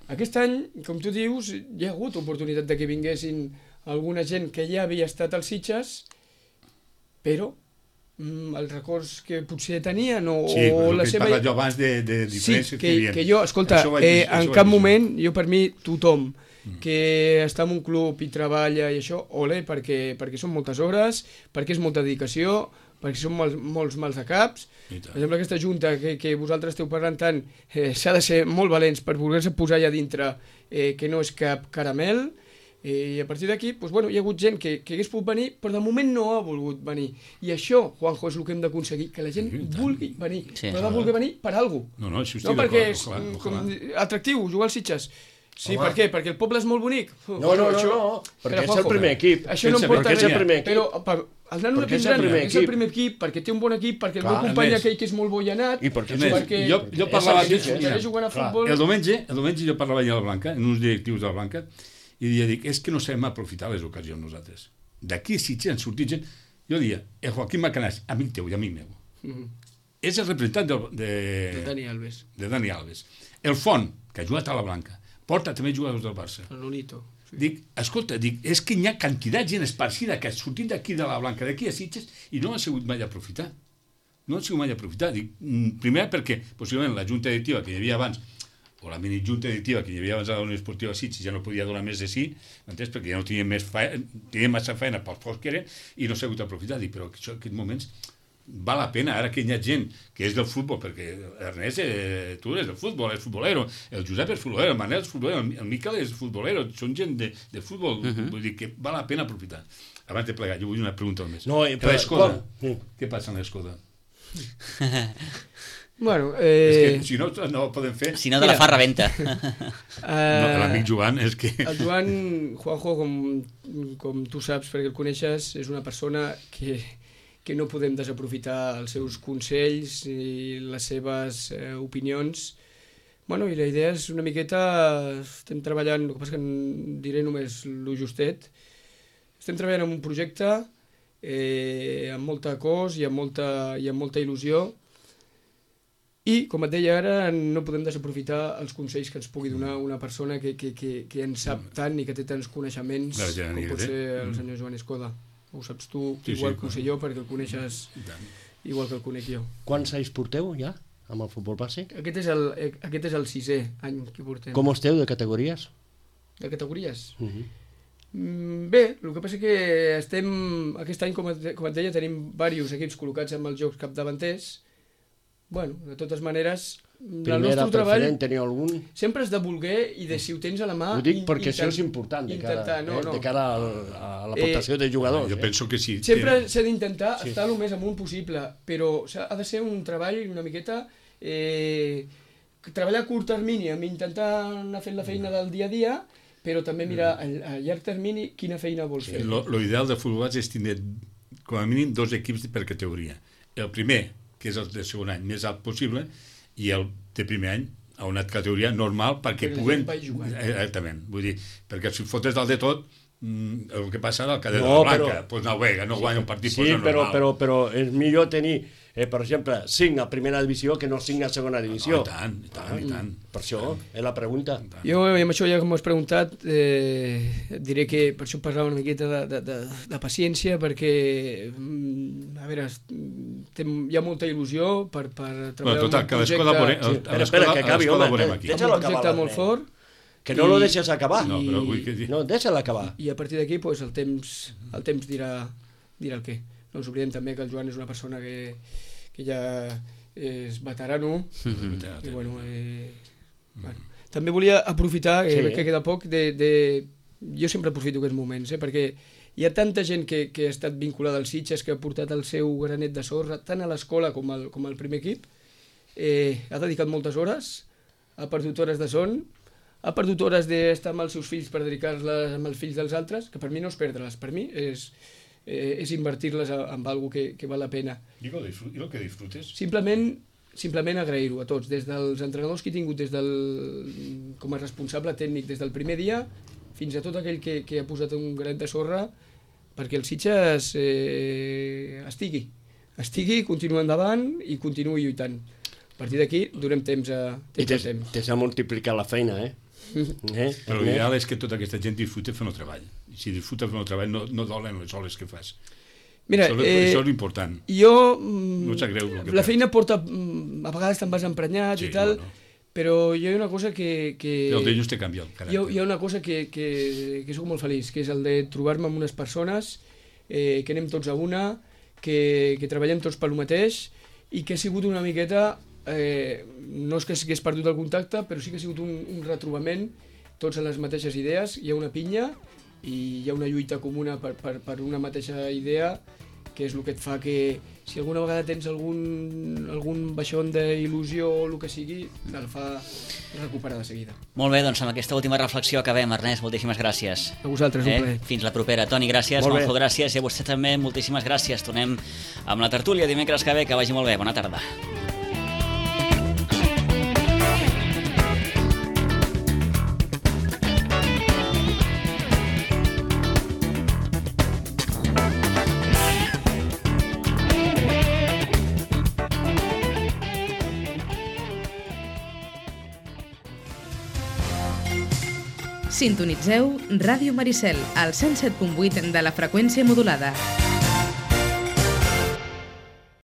Aquest any, com tu dius, hi ha hagut oportunitat de que vinguessin alguna gent que ja havia estat als Sitges, però mm, els records que potser tenien o, Sí, però o el la que he seva... parlat jo abans de, de Sí, diferències que, hi havia. que jo, escolta, Això ho vaig eh, dir- això en ho vaig cap dir. moment, jo per mi, tothom que està en un club i treballa i això, ole, perquè, perquè són moltes hores, perquè és molta dedicació, perquè són molts, molts mals de caps. I Per tant. exemple, aquesta junta que, que vosaltres esteu parlant tant, eh, s'ha de ser molt valents per voler-se posar allà dintre, eh, que no és cap caramel, eh, i a partir d'aquí, doncs, bueno, hi ha hagut gent que, que hagués pogut venir, però de moment no ha volgut venir. I això, Juanjo, és el que hem d'aconseguir, que la gent Sí, i tant. vulgui venir, Sí. però ha de voler venir per alguna cosa. No, no, això No, estic perquè d'acord, és ojalà, mm, ojalà. com, atractiu jugar als Sitges. Sí, Home. per què? Perquè el poble és molt bonic. No, no, no, no, perquè és el primer equip. Això no Sense em porta perquè és el res, primer equip. però per, el nano de Perquè és el Pinzani primer és el equip. primer equip, perquè té un bon equip, perquè el Clar, meu company Ernest. aquell que és molt bo i anat, I perquè Ernest, perquè jo, jo parlava... és el Sitges. segueix jugant a Clar. futbol. El diumenge, el diumenge jo parlava allà a la Blanca, en uns directius de la Blanca, i dia, dic, és que no sabem aprofitar les ocasions nosaltres. D'aquí a Sitges han sortit gent... Jo dia, el Joaquim Macanàs, amic teu i amic meu, Mhm. és el representant de, de, El Dani Alves, de Dani Alves. El Font, que ha jugat a la Blanca, porta també jugadors del Barça. el Nonito. Sí. Dic, escolta, dic, és que hi ha quantitat de gent esparcida que ha sortit d'aquí de la Blanca, d'aquí a Sitges, i no ha sigut mai aprofitar. No ha sigut mai aprofitar. Dic, mm, primer perquè, possiblement, la junta directiva que hi havia abans, o la mini junta directiva que hi havia abans a la Unió Esportiva Sitges ja no podia donar més de sí, m'entens? Perquè ja no tenien, més feina, tenien massa feina pels pocs que eren i no s'ha hagut aprofitar. Dic, però això, en aquests moments val la pena, ara que hi ha gent que és del futbol, perquè Ernest, eh, tu eres del futbol, és futbolero, el Josep és futbolero, el Manel és futbolero, el Miquel és futbolero, són gent de, de futbol, uh -huh. Vull dir que val la pena aprofitar. Abans de plegar, jo vull una pregunta més. No, eh, Que però- l'Escoda, com? Sí. què passa amb l'Escoda? Bueno, Eh... És eh, que si no, no ho podem fer. Si no, de la Mira. fa rebenta. No, l'amic Joan és que... el Joan, Juanjo, com, com tu saps, perquè el coneixes, és una persona que, que no podem desaprofitar els seus consells i les seves eh, opinions. Bueno, i la idea és una miqueta... Estem treballant, el que passa que en diré només lo justet. Estem treballant en un projecte eh, amb molta cos i amb molta, i amb molta il·lusió. I, com et deia ara, no podem desaprofitar els consells que ens pugui donar una persona que, que, que, que en sap tant i que té tants coneixements La gent com que pot té. ser el Mm. senyor Joan Escoda. Ho saps tu, Sí, igual sí, que ho sé clar. jo, perquè el coneixes I tant. igual que el conec jo. Quants anys porteu ja amb el futbol base? Aquest és el, eh, aquest és el sisè any que portem. Com esteu de categories? De categories? Uh -huh. Mm, bé, el que passa que estem... Aquest any, com et, com et deia, tenim diversos equips col·locats amb els jocs capdavanters. Bueno, de totes maneres, el Primera, nostre treball... preferent, teniu algun? Sempre has de voler i de si ho tens a la mà... Ho dic in- perquè això intent- és important de cara, intentar, no, eh, no. de cara al, a l'aportació de jugadors. Jo eh? penso que sí. Sempre que- s'ha d'intentar Sí. estar el més amunt possible, però s'ha- ha de ser un treball una miqueta... Eh, treballar a curt termini, amb intentar anar fent la feina del dia a dia, però també mirar a, a llarg termini quina feina vols fer. Lo, lo ideal de futbol base és tenir com a mínim dos equips per categoria. El primer, que és el de segon any, més alt possible, i el de primer any a una categoria normal perquè Perquè la puguen... gent vagi jugant. Exactament. Vull dir, perquè si fotes dalt de tot, mm, el que passa ara al cadet No, de la Blanca, però- pues no juega, no guanya un partit, Sí, pues no però, normal. però, però és millor tenir, eh, per exemple, cinc a primera divisió que no cinc a segona divisió. No, i tant, i tant, i tant. Per això és la pregunta. Jo, i amb això ja que m'ho has preguntat, eh, et diré que per això parlava una miqueta de, de, de, de paciència, perquè, mm, a veure, es- té, hi ha molta il·lusió per, per treballar Bueno, total, en que un a l'Escola projecte, veurem- Sí, a espera, l'escola- espera, que a acabi, l'escola home. veurem de- aquí. amb Deixa'l un projecte acabar, molt l'Ernest. fort, Que no lo I- deixes acabar. No, però vull que dir... No, deixa'l acabar. i a partir d'aquí pues, el temps, el temps dirà, dirà el què. No ens oblidem també que el Joan és una persona que, que ja és veterano, i bueno, eh, bueno. També volia aprofitar, eh, Sí. sí. que queda poc, de, de... jo sempre aprofito aquests moments, eh, perquè hi ha tanta gent que, que ha estat vinculada als Sitges, que ha portat el seu granet de sorra, tant a l'escola com, al, com al primer equip, eh, ha dedicat moltes hores, ha perdut hores de son, ha perdut hores d'estar amb els seus fills per dedicar-les amb els fills dels altres, que per mi no és perdre-les, per mi és, eh, és invertir-les en alguna que, que val la pena. I el que disfrutes? Simplement, simplement agrair-ho a tots, des dels entrenadors que he tingut des del, com a responsable tècnic des del primer dia, fins a tot aquell que, que ha posat un granet de sorra perquè el Sitges eh, estigui, estigui, continua endavant i continuï lluitant. A partir d'aquí donem temps a temps. I tens, tens a multiplicar la feina, eh? eh? Però l'ideal és que tota aquesta gent disfruta fent el treball. I si disfruta fent el treball no, no dolen les hores que fas. Mira, això, eh, això és important. Jo, no sap greu, la feina porta, a vegades te'n vas emprenyat sí, i tal, no, no. Però hi ha una cosa que... que el d'ells te canvia el caràcter. Hi ha, hi ha una cosa que, que, que soc molt feliç, que és el de trobar-me amb unes persones, eh, que anem tots a una, que, que treballem tots pel mateix, i que ha sigut una miqueta, eh, no és que s'hagués perdut el contacte, però sí que ha sigut un, un retrobament, tots en les mateixes idees, hi ha una pinya, i hi ha una lluita comuna per, per, per una mateixa idea, que és el que et fa que, si alguna vegada tens algun, algun baixón d'il·lusió o el que sigui, el fa recuperar de seguida. Molt bé, doncs amb aquesta última reflexió acabem. Ernest, moltíssimes gràcies. A vosaltres, eh? un plaer. Fins la propera. Toni, gràcies. Juanjo, gràcies. I a vostè també, moltíssimes gràcies. Tornem amb la tertúlia dimecres que ve. Que vagi molt bé. Bona tarda. Sintonitzeu Ràdio Maricel, al cent set punt vuit de la freqüència modulada.